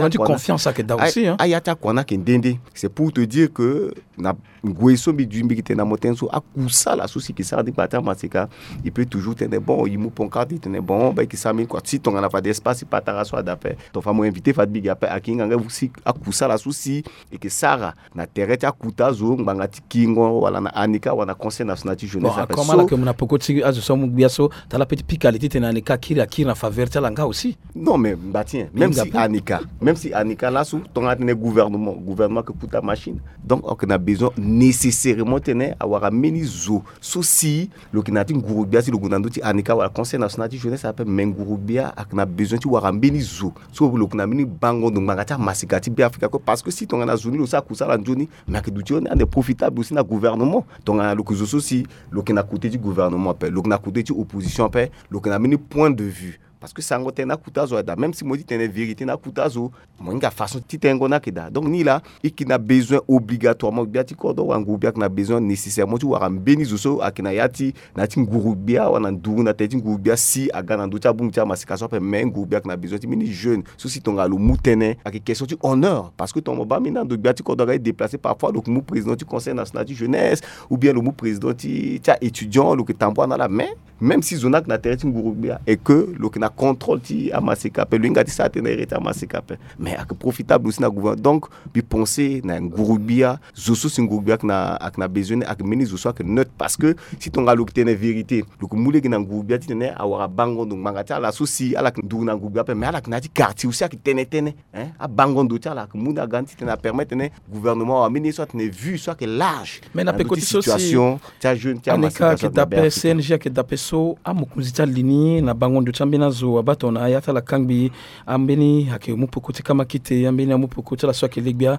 ti akua ni ayeke nde nde. C'est pour te dire que na ngoi so mbi duti mbi yeke tene na mo tënë so, akusala so si e yeke sara ni ngba ti amaseka, e peut toujours tene bon, e mu pancarte e tene bon, ba e yeke sara mbeni kua ti tongana fade espace ti patara so ada ape. Ton fa mo invité fade mbi gi ape, ayeke hinga nga si akusala so si e yeke sara na tere ti akuta azo ngbanga ti kingo wala na ANICAR wala na Conseil national ti jeunesse ape. Bon, akoma so ala yeke mu na peko ti azo so amu gbia so, tala peut ti pika li titene ANICAR akiri, akiri na faveur ti ala nga aussi. Non, mais mba ti nyen, même si ANICAR, même si ANICAR laso tongana atene gouvernement, gouvernement ayeke kuta machine. Donc ayeke na besoin nécessairement titene awara mbeni zo so si lo yeke na ya ti nguru gbia si lo gue na ndö ti ANICAR wala Conseil national ti jeunesse ape. Mais nguru gbia ayeke na besoin ti wara mbeni zo so lo yeke na mbeni bango ndo ngbanga ti amaseka ti Beafrika kue. Parce que si tongana zo ni lo sara kusala nzoni, mais ayeke duti ande profitable aussi na gouvernement. Tongana lo yeke zo so si lo yeke na côté ti gouvernement ape, lo yeke na côté ti opposition ape, lo yeke na mbeni point de vue Parce que sango tene na kuta zo ayeke daa, même si mo ye ti tene vérité na kuta zo, mo hinga façon ti tengo ni ayeke daa. Donc ni laa, e yeke na besoin obligatoirement, gbia ti kodro wala nguru-gbia ayeke na besoin nécessairement ti wara mbeni zo so ayeke na ya ti, na ya ti nguru-gbia wala na nduru na tënë ti nguru-gbia si aga na ndö ti abongbi ti amaseka so ape. Mais nguru-gbia ayeke na besoin ti mbeni jeune so si tongana lo mu tënë, ayeke question ti honneur. Parce que tongana mo baa mbeni ando gbia ti kodro aga ti déplacer, parfois lo yeke mu président ti conseil national ti jeunesse, ou bien lo mu président ti, ti a-étudiant, lo yeke tambula na ala. Mais même si zo ni ayeke na tere ti nguru-gbia et que lo yeke na contrôle ti amaseka ape, lo hinga ti sara tënë na iri ti amaseka ape. Mais ayeke profitable aussi na gouvernement. Donc mbi pense na nguru-gbia, zo so si nguru-gbia ayeke na, ayeke na besoin ni, ayeke mbeni zo so ayeke neutre. Parce que si tongana lo yeke tene vérité, lo yeke mu lege na nguru-gbia titene awara bango ndo ngbanga ti ala so si ala yeke nduru na nguru-gbia ape, mais ala yeke na ya ti quartier aussi ayeke tene tënë. Hein, abango ndo ti ala ayeke mu na ga ni titene apermettre tene gouvernement awara mbeni ye so atene vue so ayeke large. Mais na peko ti so si situation ti ajeune ti amaseka so ayeke daa ape, C N G ayeke daa ape so amokonzi ti alini na bango ndo ti ambeni azo abaa tongana ya ti ala kangbi, ambeni ayeke mu peko ti kamakite, ambeni amu peko ti ala so ayeke le-gbia.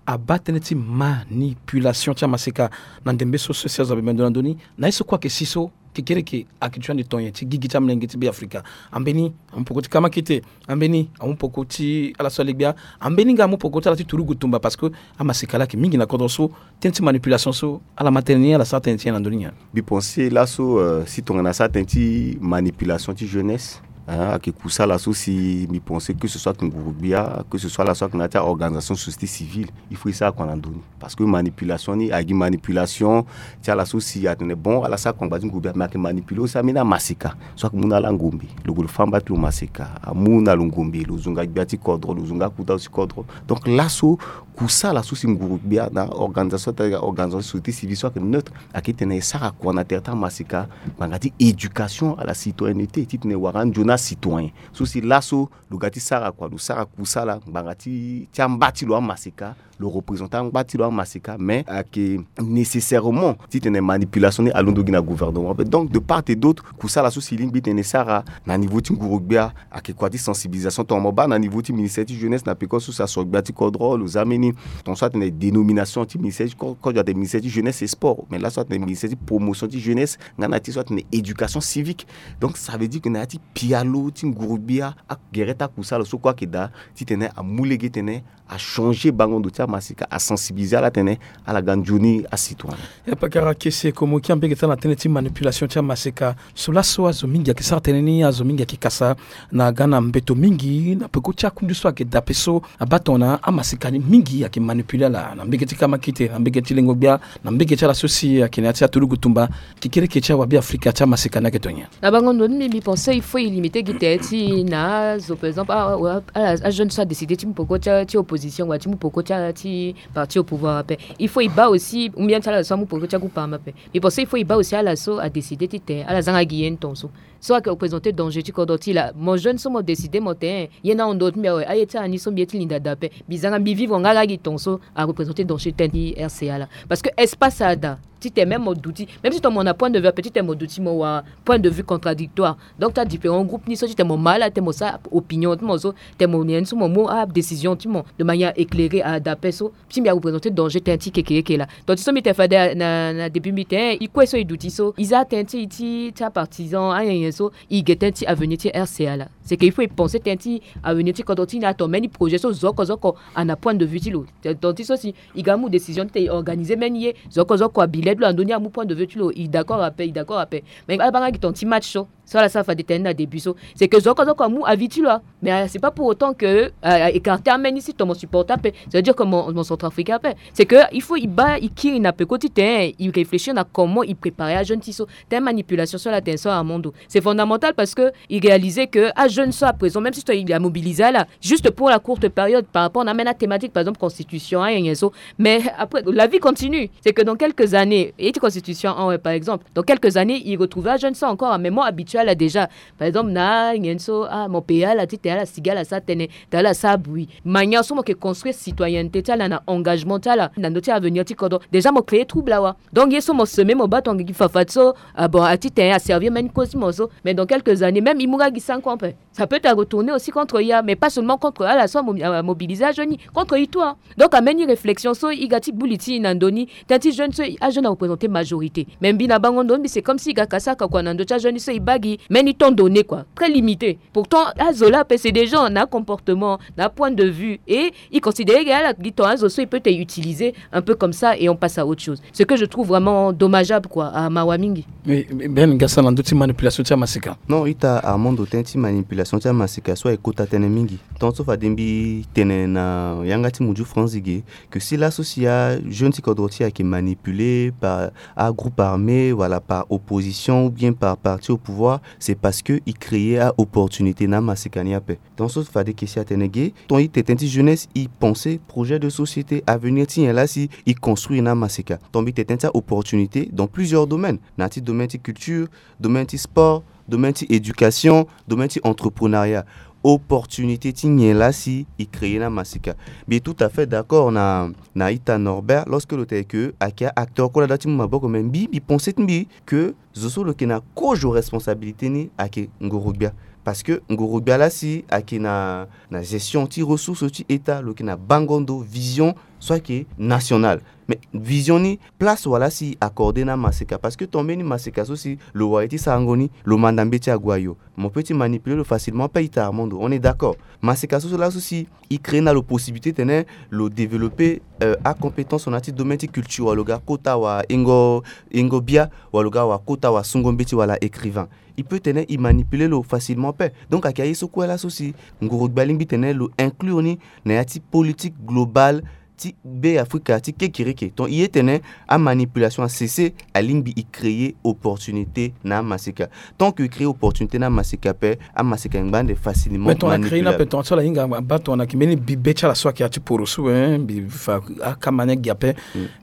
Abaa tënë ti manipulation ti amaseka na ndembe so so si azo abe mendo na ndö ni. Na ye so kue ayeke si so kekereke ayeke ti ande tonyen ti gigi ti amolenge ti Beafrika. Ambeni amu peko ti kamakite, ambeni amu peko ti ala so ale-gbia, ambeni nga amu peko ti ala ti turugu tumba, parce que amaseka laa ayeke mingi na kodro so. Tënë ti manipulation so ala ma tënë ni, ala sara tënë ti nyen na ndö ni nyen? Mbi pense laso, euh, si tongana asara tënë ti manipulation ti jeunesse, hein, ayeke kusala so si mbi pense que ce soit nguru-gbia, que ce soit ala so ayeke na ya ti a-organisation société civile, il faut e sara kua na ndö ni. Parce que manipulation ni ayeke gi manipulation ti ala so si atene bon, ala sara kua na ngba ti nguru-gbia, mais ayeke manipuler aussi ambeni amaseka so ayeke mu na ala ngombe. Lo gue lo fâ mba ti lo maseka, amu na lo ngombe, lo zo nga gbia ti kodro, lo zo nga kuta ti kodro. Donc laso kusala so si nguru-gbia na organisation ti, organisation société civile so ayeke neutre, ayeke titene e sara kua na tere ti amaseka, ngbanga ti éducation à la citoyenneté, titene e wara anzoni acitoyen so si laso lo ga ti sara kua, lo sara kusala ngbanga ti, ti amba ti lo amaseka, lo représenter angba ti lo amaseka, mais ayeke nécessairement titene manipulation ni alondo gi na gouvernement ape. Donc de part et d'autre, kusala so si e lingbi titene e sara na niveau ti nguru-gbia ayeke kua ti sensibilisation. Tongana mo baa na niveau ti ministère ti jeunesse, na peko so si asoro gbia ti kodro, lo za mbeni, tongana so atene dénomination ti ministère ti ko-, kodro atene ministère ti jeunesse et sport, mais laso atene ministère ti promotion ti jeunesse nga na ti so atene éducation civique. Donc ça veut dire que na ya ti pialo ti nguru-gbia, agere ti akusala so kue ayeke daa titene amu lege titene achanger bango ndo ti amaseka, asensibiliser ala titene ala ga nzoni acitoyen. Ya pakara kese komoki ambege ti ala na tënë ti manipulation ti amaseka. So laso azo mingi ayeke sara tënë ni, azo mingi ayeke kasa na ga na mbeto mingi na peko ti akundu so ayeke daa ape so abaa tongana amaseka ni mingi ayeke manipuler ala na mbege ti kamakite, na mbege ti lengo-gbia, na mbege ti ala so si ayeke na ya ti aturugu tumba. Kekereke ti awabeafrika ti amaseka ni ayeke to nyen? Na bango ndo ni mbi, mbi pense il faut e limiter gi tere ti na azo, par exemple, a, a, a, ajeune so adécider ti mu peko ti, ti opposition wala ti mu peko ti, ti parti au pouvoir ape. Il faut e baa aussi ou bien ti ala so amu peko ti agroupe armé ape. Mbi pense il faut e baa aussi ala so adécider titene ala za nga gi ye ni tongaso. So ayeke représenter danger ti kodro ti e laa. Mo jeune so mo décider mo tene ye ni ahon ndoro ti mbi awe, aye ti ala ni so mbi ye ti linda daa ape. Mbi za nga mbi vivre nga laa gi tongaso areprésenter danger ti tënë ti R C A laa. Parce que espace adaa titene même mo duti, même si tongana mo na point de vue ape, titene mo duti mo wara point de vue contradictoire. Donc ti adifférent groupe ni so titene mo ma ala titene mo sara opinion ti mo so, titene mo nyen so mo mu adécision ti mo de manière éclairée, adaa ape so. Ti mbi areprésenter danger ti tënë ti keke ye ke laa. Donc ti so mbi tene fade na, na début mbi tene e kue so e duti so, e za tënë ti, ti, ti apartisan anyenye so, e ge tënë ti avenir ti R C A laa. C'est que il faut e penser tënë ti avenir ti kodro ti e ni, atene mbeni projet so zo oko zo oko ana point de vue ti lo. Donc ti so si e ga amu décision titene e organiser mbeni ye, zo oko zo oko abi le ti lo na ndö ni amu point de vue ti lo, e d'accord ape, e d'accord ape. Mais ala baa nga gi tongana ti match so, so ala sara fade tene na début so, c'est que zo oko zo oko amu avis ti lo, ah. Mais, euh, c'est pas pour autant que, euh, écarter ambeni si tongana mo supporter ape, ça veut dire que mo, mo centrafricain ape. C'est que il faut e baa e kiri na peko titene e réfléchir na comment e préparer ajeune ti so. Tënë manipulation so ala tene so amondo. C'est fondamental parce que e réaliser que ajeune so à présent, même si tongana e amobiliser ala juste pour la courte période par rapport na ambeni athématique, par exemple constitution, hein, nyen so. Mais après la vie continue. C'est que dans quelques années, ye ti constitution, hein, ouais, par exemple, dans quelques années e retrouver ajeune so encore, ah, mais mo habitué ala déjà. Par exemple na nyen so, ah, mo payer ala titene ala sigi ala sara tënë, titene ala sara bruit. Manière so mo yeke construire citoyenneté ti ala na engagement ti ala na ndö ti avenir ti kodro, déjà mo créer trouble awa. Donc ye so mo semer mo baa tongana gi fafa ti so, ah bon, atitene aservir mbeni cause ti mo so. Mais dans quelques années même e mu nga gi cinq ans ape. Ça peut te retourner aussi contre ya, mais pas seulement contre ala so amobilisé ajeune ni, contre i tout, hein. Donc ameni réflexion so i ga ti gbu li ti i na ndö ni, tënë ti jeune so ajeune areprésente majorité. Mais mbi na bango ndo mbi, c'est comme si i ga ka sara ka kua na ndö ti ajeune ni so i baa gi, meni temps donné quoi, très limité. Pourtant azo laa ape c'est des gens na comportement, na point de vue, et i considéré ke ala gi temps azo so i peut te utiliser un peu comme ça et on passe à autre chose. Ce que je trouve vraiment dommageable quoi, ah, mawa mingi. Ben ga sara na ndö ti manipulation ti amaseka. Non, ita Armando, tënë ti manipulation ti amaseka so aye kota tënë mingi. Tant so fade mbi tene na yanga ti muju France ge, que si laso si ajeune ti kodro ti e ayeke manipulé par agroupe armé wala par opposition ou bien par parti au pouvoir, c'est parce que i créé aopportunité na amaseka ni ape. Tant so fade ke si atene ge, tant i tene tënë ti jeunesse, i pensé projet de société, avenir ti nyen laa si i construire na amaseka. Tant mbi tene tënë ti aopportunité dans plusieurs domaines, na ya ti domaine ti culture, domaine ti sport, domaine ti éducation, domaine ti entrepreneuriat. Opportunité ti nyen laa si i créé na amaseka. Mbi tout à fait d'accord na, na ita Norbert lorsque lo tene ke ayeke acteur kue laa da ti mu maboko, mais mbi mbi pensé ti mbi ke zo so lo yeke na kozo responsabilité ni ayeke ngoro-gbia. Parce que ngoro-gbia laa si ayeke na, na gestion ti ressource ti état, lo yeke na bango ndo, vision so ayeke nationale. Mais vision ni, place wala si accordé na amaseka, parce que ton mbeni maseka so si lo wara ye ti sarango ni, lo manda mbeti ague ayo. Mo peut ti manipuler lo facilement ape, ita Armando, on est d'accord. Maseka so so laso si i créé na lo possibilité tene lo développer, euh, acompétence na ya ti domaine ti culture, wala lo ga kota wa ingo, ingo bia, wala lo ga wa kota wa sungo mbeti wala écrivain. I peut tene i manipuler lo facilement ape. Donc ayeke aye so kue laso si ngoro-gbia alingbi tene lo inclure ni na ya ti politique globale ti Be Afrika ti kekereke. Donc i ye tene amanipulation a cessé, alingbi i créer opportunité na amaseka. Tant que i créer opportunité na amaseka ape, amaseka ayeke ngba ande facilement manipulable. Mais ton a créer ni ape, ton so ala hinga abaa ton na ayeke mbeni bibe ti ala so ayeke ya ti poroso, hein, mbi fa akama ni agi ape.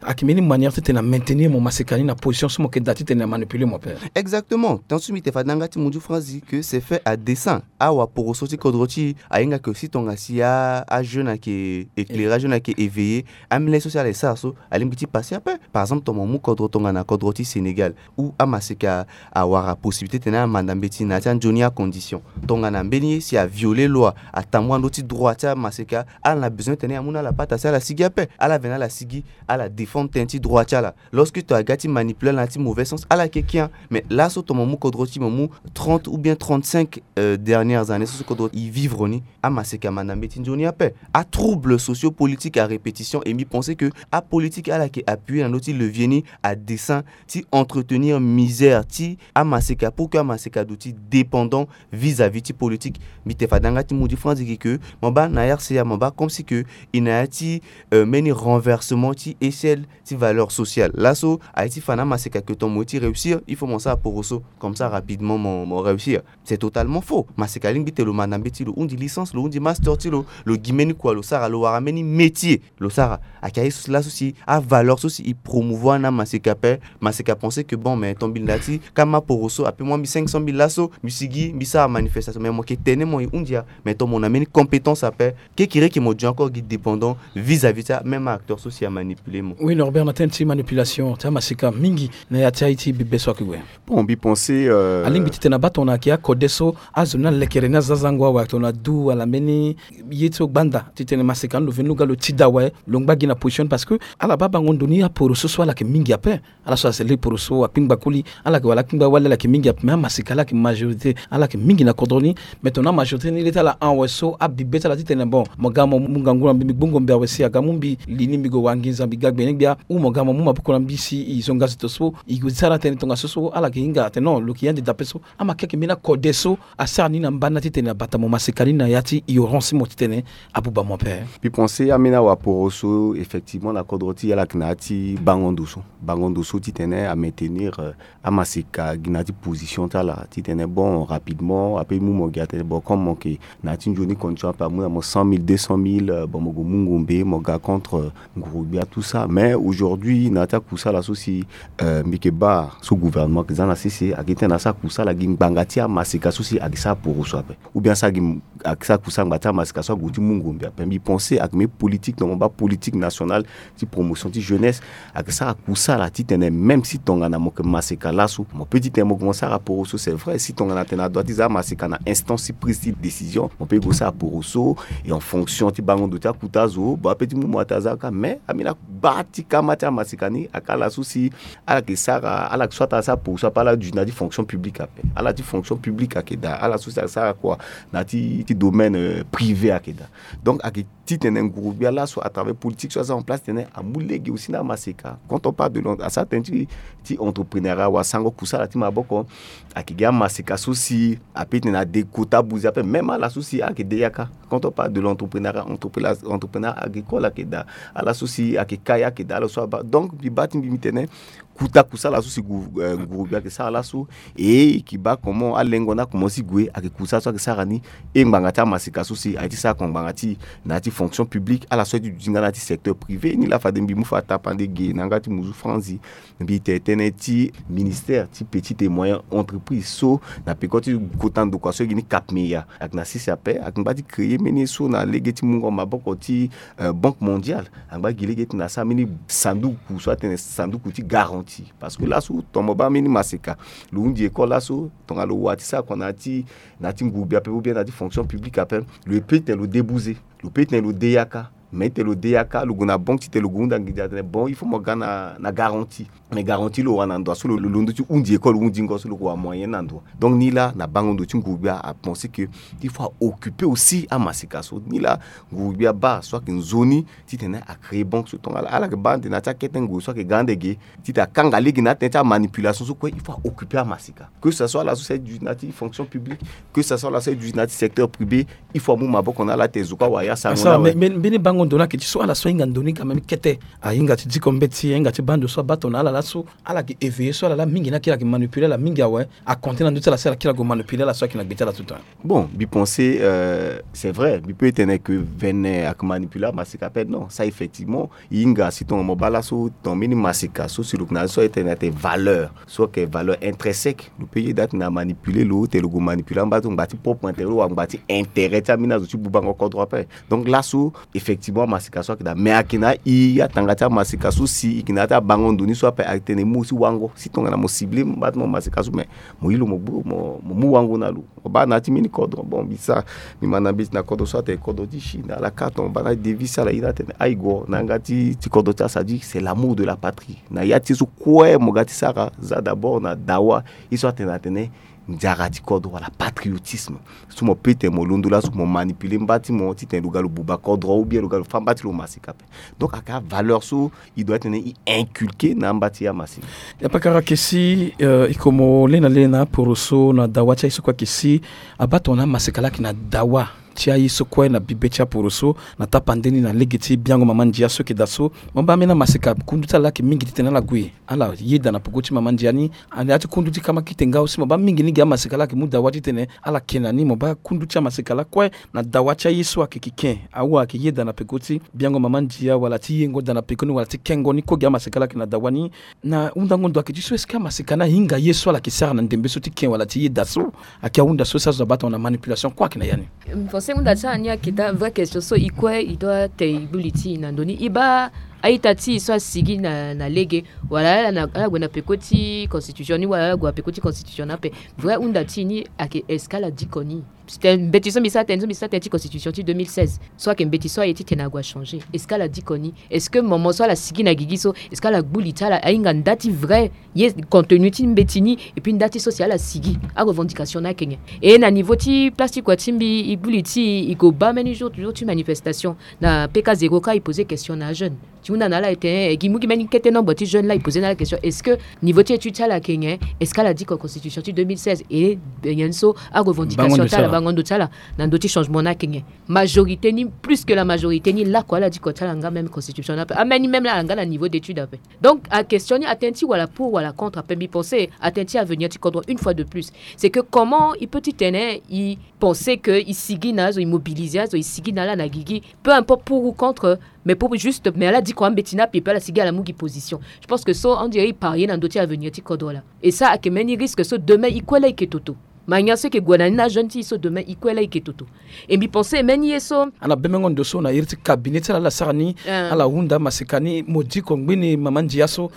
Ayeke mbeni manière titene a maintenir mo maseka ni na position so mo yeke daa titene a manipuler mo ape. Exactement. Tant so mbi tene fade na yanga ti muju France ke c'est fait à dessein. Awaporoso ti kodro ti e ahinga ke si tonga si a, ajeune ayeke éclairé, ajeune ayeke éveillé, ambeni ye so si ala ye sara so alingbi ti passé ape. Par exemple, ton mo mu kodro tongana kodro ti Sénégal, ou amaseka awara possibilité titene amanda mbeti na ya ti anzoni acondition. Tongana mbeni ye si a violer loi, atambula ndö ti droit ti amaseka, ala na besoin titene amu na ala pata si ala sigi ape. Ala veni ala sigi, ala défendre tënë ti droit ti ala. Lorsque ton aga ti manipuler ala na ya ti mauvais sens, ala yeke ki. Mais laso ton mo mu kodro ti e, mo mu trente ou bien trente-cinq, euh, dernières années so so kodro e vivre ni, amaseka amanda mbeti nzoni ape. Atroubles sociopolitiques à répétition, et mbi pensé ke apolitique ala yeke appuyer na ndö ti levier ni à dessein ti entretenir misère ti amaseka, pour que amaseka aduti dépendant vis-à-vis ti politique. Mbi tene fade na yanga ti muju France ge ke mo baa na R C A, mo baa comme si ke e na ya ti, euh, mbeni renversement ti échelle ti valeur sociale. Laso aye ti fa na amaseka ke ton mo ye ti réussir, il faut mo sara poroso, comme ça rapidement mo, mo réussir. C'est totalement faux. Maseka alingbi titene lo manda mbeti, lo hundi licence, lo hundi master ti lo, lo gi mbeni kua lo sara, lo wara mbeni métier lo sara. Ayeke aye so si laso si avaleur so si e promouvoir na amaseka ape. Maseka pensé ke bon, mais ton mbi linda ti kama poroso, ape mu mbi cinq cent mille laso, mbi sigi mbi sara manifestation. Mais mo yeke tene mo e hundi a, mais ton mo na mbeni compétence ape. Kekereke mo duti encore gi dépendant vis-à-vis ti a même acteur so si amanipuler mo. Oui, Norbert, na tënë ti manipulation ti amaseka mingi na ya ti aye ti bibe so ayeke gue. Bon, mbi pensé, euh, alingbi titene abaa tongana ayeke akode so azo ni alekere ni aza zango awe, tongana adu wala mbeni ye ti lo gbanda titene maseka ni lo veni lo ga lo tida awe, lo ngba gi na position ni, parce que ala baa bango ndo ni aporoso so ala yeke mingi ape. Ala so asele poroso, akpingba koli, ala yeke wala akpingba wali, ala yeke mingi ape, mais amaseka ala yeke majorité, ala yeke mingi na kodro ni. Mais tongana amajorité ni le ti ala hon awe so, abibe ti ala titene bon, mo ga mo mu ngangu na mbi, mbi gbu ngombe awe si aga mu mbi li ni, mbi gue wa nginza, mbi ga gbenyo-gbia, ou mo ga mo mu maboko na mbi si e zonga zi to so, e gue sara tënë tongaso so, ala yeke hinga atene non, lo yeke ya ande dape so. Ama ke ayeke mbeni akode so asara ni na mbana titene abata mo maseka ni na ya ti ignorance ti mo titene abuba mo ape. Mbi pensé ambeni awaporoso, effectivement, na kodro ti e ala yeke na ya ti bango ndo so. Bango ndo so titene a maintenir, euh, amaseka gi na ya ti position ti ala titene bon, rapidement ape mu mo gi atene bon, comme mo yeke na ya ti nzoni condition ape, amu na mo cent mille, deux cent mille, euh, bon, mo gue mu ngombe, mo ga contre, euh, nguru-gbia, tout ça. Mais aujourd'hui na ya ti akusala so si, euh, mbi yeke baa so gouvernement ayeke za na sese, ayeke tene asara kusala gi ngbanga ti amaseka so si ayeke sara poroso ape, ou bien asara gi, ayeke sara kusala ngbanga ti amaseka so ague ti mu ngombe ape. Mbi pensé ayeke mbeni politique normalement Politique nationale ti promotion ti jeunesse, ayeke sara kusala titene même si tongana mo yeke maseka laso, mo peut titene mo gue mo sara poroso, c'est vrai. Si tongana atene adua ti za maseka na instance ti prise ti décision, mo peut gue sara poroso. Et en fonction ti bango ndo ti akuta azo, bon, ape ti mu mo ata aza kâ. Mais ambeni akubâ ti kama ti amaseka ni ayeke ala so si ala yeke sara, ala yeke soit ala sara poroso ape, ala duti na ya ti fonction publique ape. Ala ti fonction publique ayeke daa, ala so si ala sara kua na ya ti, ti domaine, euh, privé ayeke daa. Donc ayeke titene nguru-gbia laso à travers politique so aza en place titene amu lege aussi na amaseka. Quand on parle de l'en-, asara tënë ti, ti entrepreneuriat wala sango kusala ti maboko, ayeke gi amaseka so si ape titene ade kota buzi ape, même ala so si ayeke de yaka. Quand on parle de l'entrepreneuriat, entrepreneur, entrepreneur agricole ayeke daa, ala so si ayeke kâ ayeke daa, ala so abaa. Donc mbi baa ti mbi, mbi tene kuta kusala so si gu-, eh, nguru-gbia ayeke sara laso. E e yeke baa comment alengo ni akomanse ti gue, ayeke kusala so ayeke sara ni. E ngbanga ti amaseka so si aye ti sara kua ngbanga ti na ya ti fonction publique, ala so aye ti duti nga na ya ti secteur privé ni laa. Fade mbi mu fa tapande ge na yanga ti muzu franzi, mbi tene tënë ti ministère ti petite et moyenne entreprise so na peko ti kota ndokua so e gi ni CAPMEA, ayeke na sese ape. Ayeke ngba ti créer mbeni ye so na lege ti mungo maboko ti, euh, Banque Mondiale. Angba gi lege ti na sara mbeni sanduku so atene sanduku ti garantie. Parce que laso tongana mo baa mbeni maseka, lo hundi école laso, tongana lo wa ti sara kua na ya ti, na ya ti nguru-gbia ape ou bien na ya ti fonction publique ape, lo ye peut titene lo de buze, lo peut titene lo de yaka. Mais titene lo de yaka, lo gue na banque titene lo gue hunda ngidi atene bon, il faut mo ga na, na garantie. Mais garantie lo wara na ndo so lo, lo londo ti hundi école, hundi ngo so lo gue wara moyen na ndo. Donc ni laa na bango ndo ti nguru-gbia apenser que il faut a occuper aussi amaseka so. Ni laa nguru-gbia abaa so ayeke nzoni titene a créer banque so tongana ala, ala yeke baa ande na ya ti akete nguru so ayeke ga ande ge, titene akanga lege na atënë ti amanipulation so kue. Il faut a occuper amaseka. Que ce soit ala so si aye duti na ya ti fonction publique, que ce soit ala so aye duti na ya ti secteur privé, il faut amu maboko na ala titene zo kue awa ya sango na awe. Mbeni bango ndo ni ayeke ti so ala so ahinga ndo ni quand même kete, ahinga ti diko mbeti, ahinga ti baa ndo so abaa tongana ala laso, ala yeke éveiller so ala laa mingi ni akiri ayeke manipuler ala mingi awe. Akonte na ndö ti ala si ala kiri ague manipuler ala so ayeke na gbe ti ala tout temps. Bon, mbi pense, euh, c'est vrai, mbi peut tene que vene ayeke manipuler amaseka ape, non, ça effectivement. E hinga si tongana mo baa laso tongana mbeni maseka so si lo yeke na ya so e tene ate valeur so ayeke valeur intrinsèque, lo peut yeda atene amanipuler lo titene lo gue manipuler amba ti ngba ti propre intérêt lo wala ngba ti intérêt ti ambeni azo ti bubango kodro ape. Donc laso effectivement amaseka so ayeke daa, mais ayeke na i atanga ti amaseka so si e yeke na ya ti abango ndo ni so ape, atene e mu aussi wango. Si tongana mo cibler mba ti mo maseka so, mais mo yi lo mo gbu, mo, mo mu wango na lo. Mo baa na ya ti mbeni kodro, bon, mbi sara, mbi ma na mbeti na kodro so atene kodro ti Chine, ala kâ tongana mo baa na devis ti ala, e hinga atene aye go na yanga ti, ti kodro ti ala, c'est-à-dire c'est l'amour de la patrie. Na ya ti ye so kue mo ga ti sara, za d'abord na dawa ye so atene atene nzara ti kodro wala patriotisme. So mo peut tene mo londo laso mo manipuler mba ti mo titene lo ga lo buba kodro ou bien lo ga lo fâ mba ti lo maseka ape. Donc ayeke avaleur so e doit titene e inculquer na amba ti amaseka. Yapakara ayeke si, euh, e ko mo le na le na aporoso na dawa ti aye so kue ayeke si abaa tongana amaseka laa ayeke na dawa ti aye so kue na bibe ti aporoso na tapande ni na lege ti biango mama ndia so ayeke daa so. Mo baa ambeni amaseka kundu ti ala laa ayeke mingi titene ala gue ala yeda na peko ti mama ndia ni. Ande ya ti kundu ti kama kite nga aussi mo baa mingi ni gi amaseka laa ayeke mu dawa titene ala yeke na ni. Mo baa kundu ti amaseka laa kue na dawa ti aye so ayeke kiken, awa ayeke yeda na peko ti biango mama ndia wala ti yengo daa na peko ni wala ti kengo ni kue gi amaseka laa ayeke na dawa ni. Na hundango ndo ayeke ti so, est-ce que amaseka ni ahinga ye so ala yeke sara na ndembe so ti ken wala ti yeda so? Ayeke ahunda so si azo abaa tongana manipulation kue ayeke na ya ni? Mbi pense hunda ti ala ni ayeke daa vrai question so e kue e doit tene e gbu li ti e na ndö ni. E baa a-ita ti e so asigi na, na lege, wala ala na, ala gue na peko ti constitution ni, wala ala gue na peko ti constitution ni ape. Vrai hunda ti e ni ayeke, est-ce que ala diko ni? Titene mbeti so mbi sara tënë, so mbi sara tënë ti constitution ti deux mille seize so ayeke mbeti so aye titene ague achanger. Est-ce que ala diko ni? Est-ce que moment so ala sigi na gigi so, est-ce que ala gbu li ti ala ahinga nda ti vrai ye contenu ti mbeti ni, et puis nda ti so si ala sigi, arevendication ni ayeke nyen? Et na niveau ti place ti kua ti mbi, e gbu li ti e, e ko baa mbeni jour, jour ti manifestation na P K zéro kâ, e poser question na ajeune. Ti hunda na ala ete, eh, gi mu gi mbeni kete nombre ti jeune laa, e poser na ala question, est-ce que niveau ti étude ti ala ayeke nyen? Est-ce que ala diko constitution ti deux mille seize? Et nyen so arevendication ti ala, bango ndo ti ala na ndö ti changement ni ayeke nyen? Majorité ni, plus que la majorité ni lakue ala diko ti ala nga même constitution ni ape. Ambeni même laa ala nga na niveau d'étude ape. Donc a question ni atene ti wala pour wala contre ape. Mbi pense atene ti avenir ti kodro une fois de plus, c'est que comment e peut ti tene e pense que e sigi na azo, e mobiliser azo, e sigi na ala na gigi, peu importe pour ou contre, mais pour juste, mais ala diko ambeti ni ape, e peut ala sigi ala mu gi position. Je pense que so on dirait e parier na ndö ti avenir ti kodro laa. Et ça ayeke mbeni risque so demain e kue laa e yeke toto. Mania so eke gue na ni na ajeune ti e so demain e kue laa e ke toto. E mbi pense mbeni ye so. Ana bemengo ndo so na iri ti cabinet ti ala ala sara ni. Ala hunda maseka ni mo diko ngbeni mama ndia so.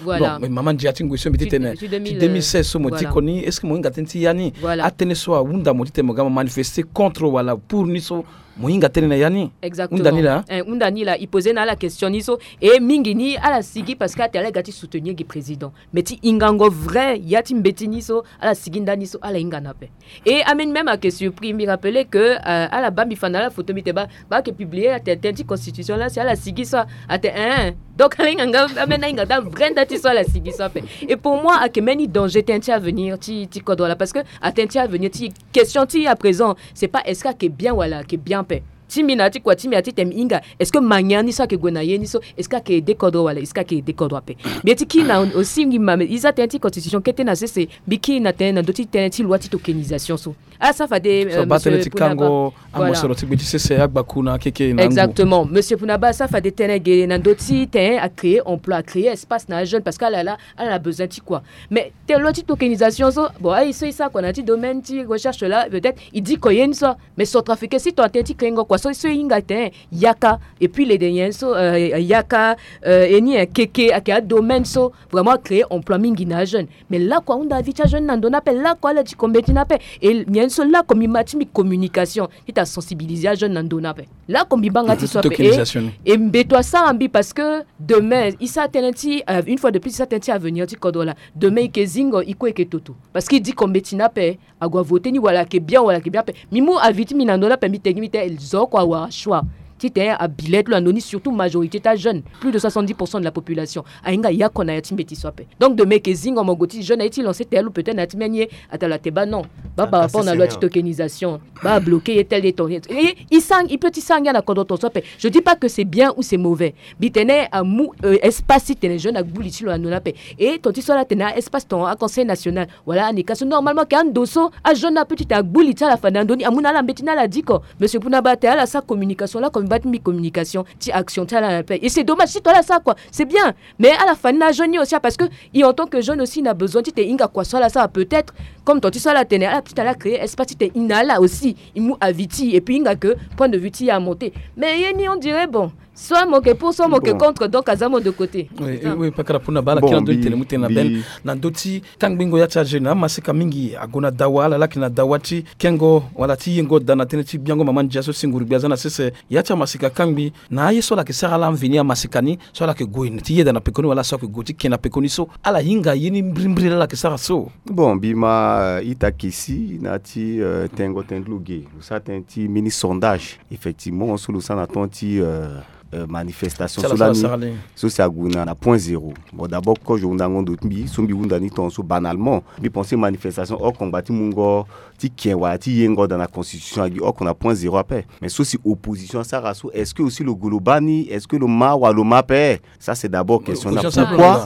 Mama ndia ti ngoi so mbi ti tene ti deux mille seize so mo diko ni, est-ce que mo hinga tënë ti ya ni? Atënë so ahunda mo ti tene mo ga mo manifester contre wala pour ni so, mo hinga tënë na ya ni? Hunda ni laa. Hunda ni laa e pose na ala question ni so. E mingi ni ala sigi parce que atene ala ga ti soutenir gi président. Mais ti hingango vrai ya ti mbeti ni so ala sigi ndani so ala hinga na ape. Et ameni même ake surpris mbi rappeler que ala baa mbi fa na ala photo mbi tene baa ake publier atene tënë ti constitution laa si ala sigi so. Atene hein, donc ala hinga nga ameni ahinga daa vrai nda ti so ala sigi so ape. Et pour moi ake mbeni danger tënë ti avenir ti ti kodro laa parce que atënë ti avenir ti question ti à présent c'est pas est-ce que ake bien wala ake bien ape. Ti mbi na ya ti kua ti mbi ya ti tene mbi hinga est-ce que mania ni so ake gue na ye ni so est-ce que ake aide kodro wala est-ce que ake aide kodro ape? Mbi ye ti kiri na aussi ngi ma mbi za tënë ti constitution kete na sese. Mbi kiri na tënë na ndö ti tënë ti loi ti tokenisation so. Ala sara fade so baa tënë ti kango amosoro ti gbe ti sese agbaku na akeke na ngu. Exactement monsieur Punaba asara fade tënë ge na ndö ti tënë acréer emploi acréer espace na ajeune parce que ala laa ala na besoin ti kua. Mais tënë loi ti tokenisation so bon aye so e sara kua na ya ti domaine ti recherche laa peut-être e diko ye ni so. Mais centrafricain si tongana tënë ti krengo kua so so e hinga tënë yaka. Et puis le de nyen so yaka e ni keke ake adomaine so vraiment acréer emploi mingi na ajeune. Mais lakue ahunda avi ti ajeune na ndo ni ape lakue ala diko mbeti ni ape. Et nyen so lakue mbi ma ti mbi communication ti ta sensibiliser ajeune na ndo ni ape. Lakue mbi baa nga ti so ape. E mbeto asara mbi parce que demain e sara tënë ti une fois de plus e sara tënë ti avenir ti kodro laa. Demain e ke zingo e kue e ke toto parce que e diko mbeti ni ape. Ague avote ni wala ake bien wala ake bien ape. Mbi mu avis ti mbi na ndo ni ape mbi tegi mbi tene zo oko awara choix ti tene abilet lo na ndo ni surtout majorité ti ajeune plus de soixante-dix pour cent de la population. Ahinga yako na ya ti mbeti so ape. Donc demain eke zingo mo gue ti jeune aye ti lancer tene lo peut-être na ya ti mbeni ye. Atala te baa non. Baa par rapport na loi ti tokenisation baa abloquer ye tel ye ton ye. E sara e peut ti sara ngia na kodro ton so ape. Je dis pas que c'est bien ou c'est mauvais. Mbi tene amu espace ti tene jeune agbu li ti lo na ndo ni ape. E ton ti so ala tene a espace ton a conseil national wala anika so normalement ke ando so ajeune ape ti tene agbu li ti ala fade na ndo ni amu na ala mbeti ni ala diko. Monsieur Punaba atene ala sara communication lakue mbi baa ti mbi communication ti action ti ala na ape. Et c'est dommage si ton ala sara kua c'est bien. Mais ala fa ni na ajeune ni aussi parce que e en tant que jeune aussi na besoin ti tene e hinga kua so ala sara peut-être comme ton ti so ala tene ala ti tene ala créer espace ti tene e na ala aussi e mu avis ti e et puis e hinga que point de vue ti e amonter. Mais ye ni on dirait bon soit mo ke pour soit mo ke contre donc aza mo de côté. Oui, pakara Punaba ala kiri na ndö ti tene mu tene na bene na ndö ti kangbingo ya ti ajeune amaseka mingi ague na dawa ala laki na dawa ti kengo wala ti yengo daa na tënë ti biango mama ndia so si nguru gbia aza na sese. Ya ti amaseka kangbi na aye so ala yeke sara ala mveni amaseka ni so ala yeke gue ti yeda na pekoni wala so ala yeke gue ti ke na pekoni so ala hinga ye ni mbirimbiri laa ala yeke sara so. Bon mbi ma ita kesi na ya ti tengo tënë ti lo ge lo sara tënë ti mbeni sondage effectivement so lo sara na temps ti manifestation so lani so si ague na point zéro. Bon d'abord kozo hundango ndo ti mbi so mbi hunda ni tongaso banalement mbi pense manifestation oko ngba ti mungo ti ken wala ti yengo daa na constitution agi oko na point zéro ape. Mais so si opposition asara so est-ce que aussi lo gue lo baa ni est-ce que lo ma wala lo ma ape? Ça c'est d'abord question na pourquoi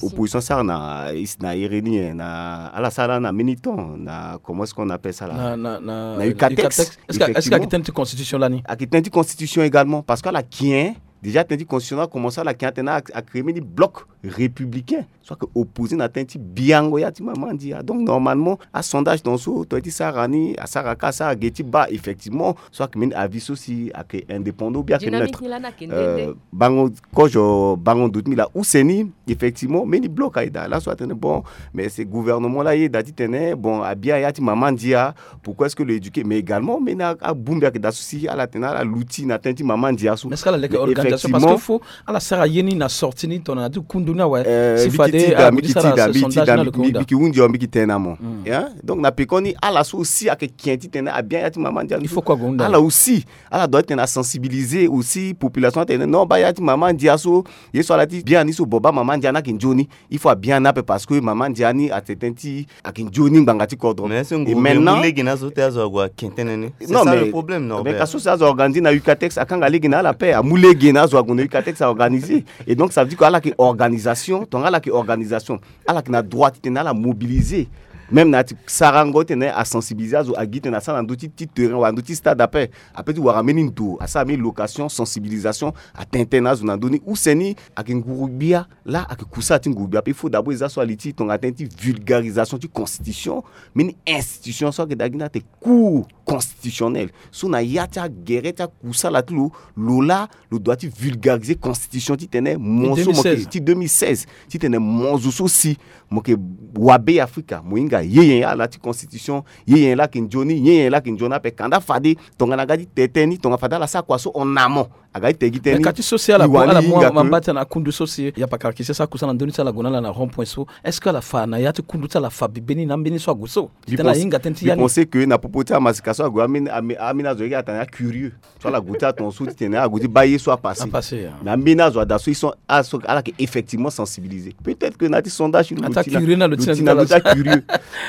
opposition asara na na iri ni na ala sara na mbeni temps na comment est-ce qu'on appelle ça là na ucatex. Est-ce que ayeke tënë ti constitution lani? Ayeke tënë ti constitution également parce que ala kien déjà tënë ti constitution la commence ala kien atene acréer mbeni bloc républicain so ayeke opposé na tënë ti biango ya ti mama ndia. Donc normalement asondage tongaso to ye ti sara ni asara ka asara ge ti baa effectivement so ayeke mbeni avis so si ayeke indépendant ou bien ayeke neutre. Bango kozo bango ndo ti mbi laa use ni effectivement mbeni bloc aye daa laso atene bon mais c'est gouvernement la ayeda titene bon abia ya ti mama ndia. Pourquoi est-ce que lo éduquer mais également mbeni abongbi ayeke daa so si ala tene ala luti na tënë ti mama ndia so. Mais est-ce que ala leke organisation parce que faut ala sara ye ni na sorti ni tongana na ti kundu ni awe. Si fade mbi ti tida mbi ti tida mbi ti tida mbi ki hunzi o mbi ki tene na mo. Donc na pekoni ala so aussi ayeke ken titene abia ya ti mama ndia. Il faut kue ague hunda ala aussi ala doit titene asensibiliser aussi population atene non baa ya ti mama ndia so ye so ala ti bien ni so bon baa mama ndia ni ayeke nzoni. Il faut abia ni ape parce que mama ndia ni atene tënë ti ayeke nzoni ngbanga ti kodro. Mais est-ce que ngu maintenant lege na azo ti azo ague ake tënë ni? C'est ça le problème non mais ka so si azo organiser na ucatex akanga lege na ala ape amu lege na azo ague na ucatex aorganiser. Et donc ça veut dire que ala yeke organisation tongana ala yeke organisation ala yeke na droit titene ala mobiliser Même na ya ti sarango titene asensibiliser azo, agi titene asara na ndö ti ti terrain wala ndö ti stade ape. Ape ti wara mbeni ndo asara mbeni location, sensibilisation, atene tënë na azo na ndö ni. Use ni ayeke nguru-gbia. Laa ayeke kusala ti nguru-gbia ape, il faut d'abord e za so ali ti tongana tënë ti vulgarisation ti constitution. Mbeni institution so ayeke daa gi ni atene Cour constitutionnelle. So na ya ti agere ti akusala ti lo, lo laa lo doit ti vulgariser constitution titene mo so mo yeke, deux mille seize, ti deux mille seize, titene mo zo so si mo yeke wa Beafrika, mo hinga ye nyen ala ti constitution, ye nyen laa ayeke nzoni, ye nyen laa ayeke nzoni ape. Kanda fade tongana aga ti te tënë ni, tongana fade ala sara kua so en amont, aga ti te gi tënë ni. Ka ti so si ala, ala mu mabata na kundu so si ya pakara kisi asara kusala na ndö ni ti ala gue na ala na rond point so, est-ce que ala fa na ya ti kundu ti ala fa bibe ni na ambeni so ague so? Titene ahinga tënë ti ya ni. Mbi pense que na popo ti amaseka so ague, ambeni, ambeni azo ye atene acurieux. So ala gue ti atongaso titene ala gue ti baa ye so apasse. Apasse, ya. Mais ambeni azo ada so, ils sont, ala so, ala yeke effectivement sensibilisés. Peut-être que na ya ti sondage lo ti na, lo ti na lo ti acurieux.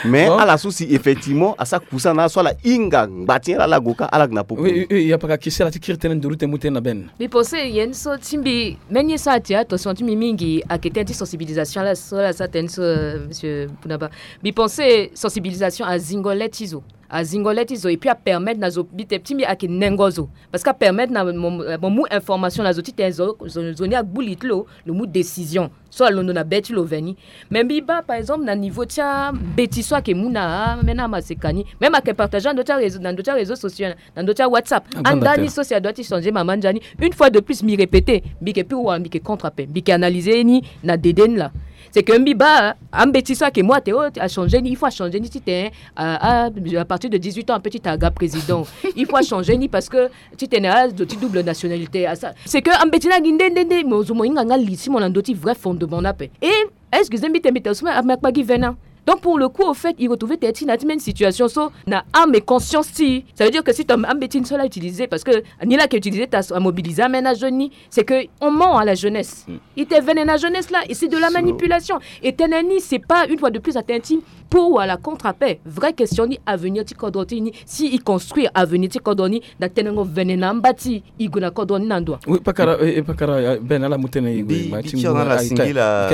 Mais ala so si effectivement asara kusala na ala so ala hinga ngba ti nyen laa ala gue kâ, ala yeke na popo. Oui, oui, oui, ya pakara kisi ala ti kiri tënë nduru ti mu tënë na bene. Mbi pense ye ni so ti mbi, mbeni ye so atire attention ti mbi mingi ayeke tënë ti sensibilisation laa so ala sara tënë so, euh, monsieur Bounaba. Mbi pense sensibilisation azingo le ti zo. Azingo le ti zo, et puis apermettre na zo, mbi te ti mbi ayeke nengo zo. Parce que apermettre na mo, mo mu information na zo titene zo, zo, zo ni agbu li ti lo, lo mu décision so alondo na be ti lo veni. Mais mbi baa par exemple na niveau ti ambeti so ayeke mu na ambeni amaseka ni, même ayeke partager na ndö ti aréseau, na ndö ti aréseau sociaux, na ndö ti aWhatsApp. Anda ni so si adoit ti changer mama ndia ni. Une fois de plus mbi répéter, mbi yeke pur wala mbi yeke contre ape, mbi yeke analyser ni na dede ni laa. C'est que mbi baa ambeti so ayeke mu atene o achanger ni, il faut achanger ni titene, euh, à, à partir de dix-huit ans ape titene aga président. Il faut achanger ni parce que titene azo ti double nationalité asa. C'est que ambeti ni agi nde nde nde mo zo mo hinga nga li ti mo na ndö ti vrai fondement ni ape. Et excusez mbi te mbi te so me akpa gi vene. Donc pour le coup au fait il retrouve tene ti na ti même situation so na âme et conscience ti. Ça veut dire que si ton ambeti ni so la utiliser parce que ni la ke utiliser ta amobiliser amena jeune ni, c'est que on ment à la jeunesse. I te vene na jeunesse là, et c'est de la manipulation. Et tënë ni c'est pas une fois de plus atene ti pour wala contre ape. Vraie question ni avenir ti kodro ti ni, si i construire avenir ti kodro ni na tenengo vene na amba ti i gue na kodro ni na ndo. Oui, pakara, eh, eh, pakara, eh, Ben ala mu tënë i gue. Mbi kiri na ala singila,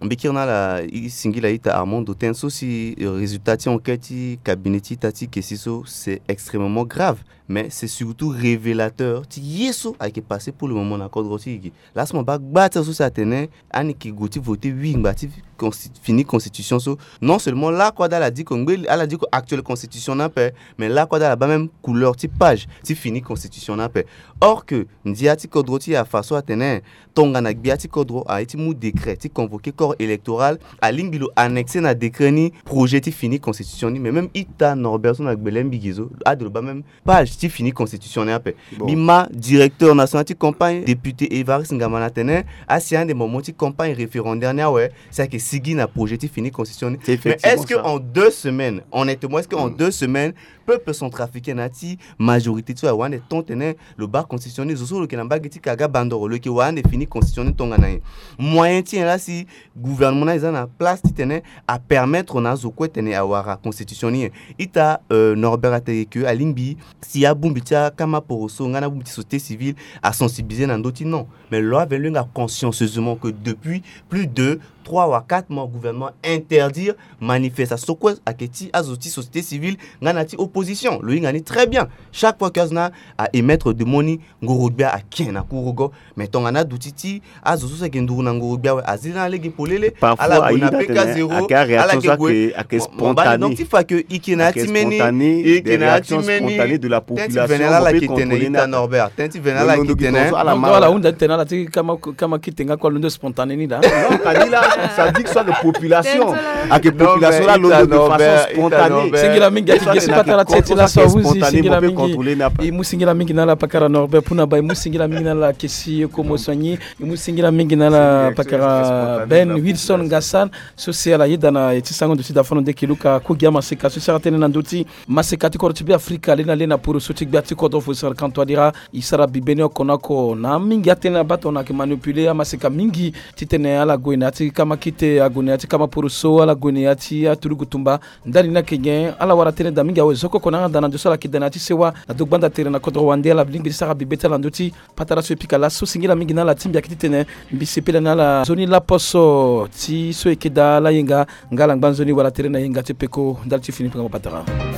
mbi kiri na ala i singila ita Armando, tënë so si, eh, résultat ti enquête ti cabinet ti ita ti kesi so c'est extrêmement grave. Mais c'est surtout révélateur ti ye so ayeke passé pour le moment na kodro ti i gi. Laa so mo baa gba ti azo so si atene ani yeke gue ti voter oui ngba ti consti-, fini constitution so. Non seulement lakue ada ala diko ngbe, ala diko actuelle constitution ni ape, mais lakue ada ala baa même couleur ti page ti fini constitution ni ape. Or que ndia ti kodro ti e afa so atene tongana gbia ti kodro aye ti mu décret ti convoquer corps électoral, alingbi lo annexer na décret ni projet ti fini constitution ni. Mais même ita Norbert so na gbele mbi gi zo ade lo baa même page ti fini constitution ni ape. Bon. Mbi ma directeur national ti campagne, député Évariste Ngamana, atene asi ande moment ti campagne référendaire ni awe, si ayeke sigi na projet ti fini constitution ni. Mais est-ce que en deux semaines, honnêtement, est-ce que en deux semaines peuple centrafricain na ya ti majorité ti so awara ande ton tene lo baa constitution ni? Zo so lo yeke na mbage ti kaga bandoro, lo yeke wara ande fini constitution ni tongana nyen? Moyen ti nyen laa si gouvernement ni aye za na place titene apermettre na azo kue tene awara constitution ni nyen? Ita, euh, Norbert atene que alingbi si abongbi ti akama poroso nga na abongbi ti société civile asensibiliser na ndö ti non. Mais lo aveni lo hinga consciencieusement que depuis plus de trois wa quatre mois gouvernement interdire manifestation so kue ayeke ti azo ti société civile nga na ti opposition. Lo hinga ni très bien. Chaque fois que azo ni a émettre demande ni, ngoro-gbia aken na kurugo. Mais tongana aduti ti azo so si ayeke nduru na ngoro-gbia awe, azi lani lege polele. Parfois ala gue na ayida P K tene zéro, ayeke aréaction so ayeke spontanée. Mo baa ni donc ti fa que i yeke na ya ti mbeni, i yeke na ya ti mbeni. Tënë ti vene lala ayeke tene, ita Norbert, tënë ti vene lala ayeke tene. Donc ala hunda ti tene ala ti kama, kama kite nga kue alondo spontané ni daa. Non, kani la, ça dit que so ayeke population, ayeke population la alondo de façon spontanée. Singila mingi ayeke ge si patara ti e ti laso ahuzi, singila mingi. I mu singila mingi na ala pakara Norbert Puna Ba, i mu singila mingi na ala Kesi Komo Soigny, i mu singila mingi na ala pakara Ben Wilson Ngassan, so si ala yeda na e ti sango ndo ti dafono nde ke luka ku gi amaseka so si ala tene na ndö ti maseka ti kodro ti Beafrika le na le na poro so ti gbia ti kodro fo sara kanto adira. E sara bibe ni oko na oko na mingi atene na baa tongana ayeke manipuler amaseka mingi titene ala gue na ya ti kama kite, ague na ya ti kama poroso, ala gue na ya ti aturugu tumba. Ndali ni ayeke nyen? Ala wara tënë daa mingi awe zo koko na anganda na ndo so ala yeke daa na ya ti sewa na ndo gbanda tere na kodro wande. Ala lingbi ti sara bibe ti ala na ndö ti patara so e pika laso singila mingi na ala ti mbi ayeke titene mbi sepela na ala nzoni laposo ti so e yeke daa ala yenga. Nga ala ngba nzoni wala tere na yenga ti peko ndali ti fini mpenga mo patara.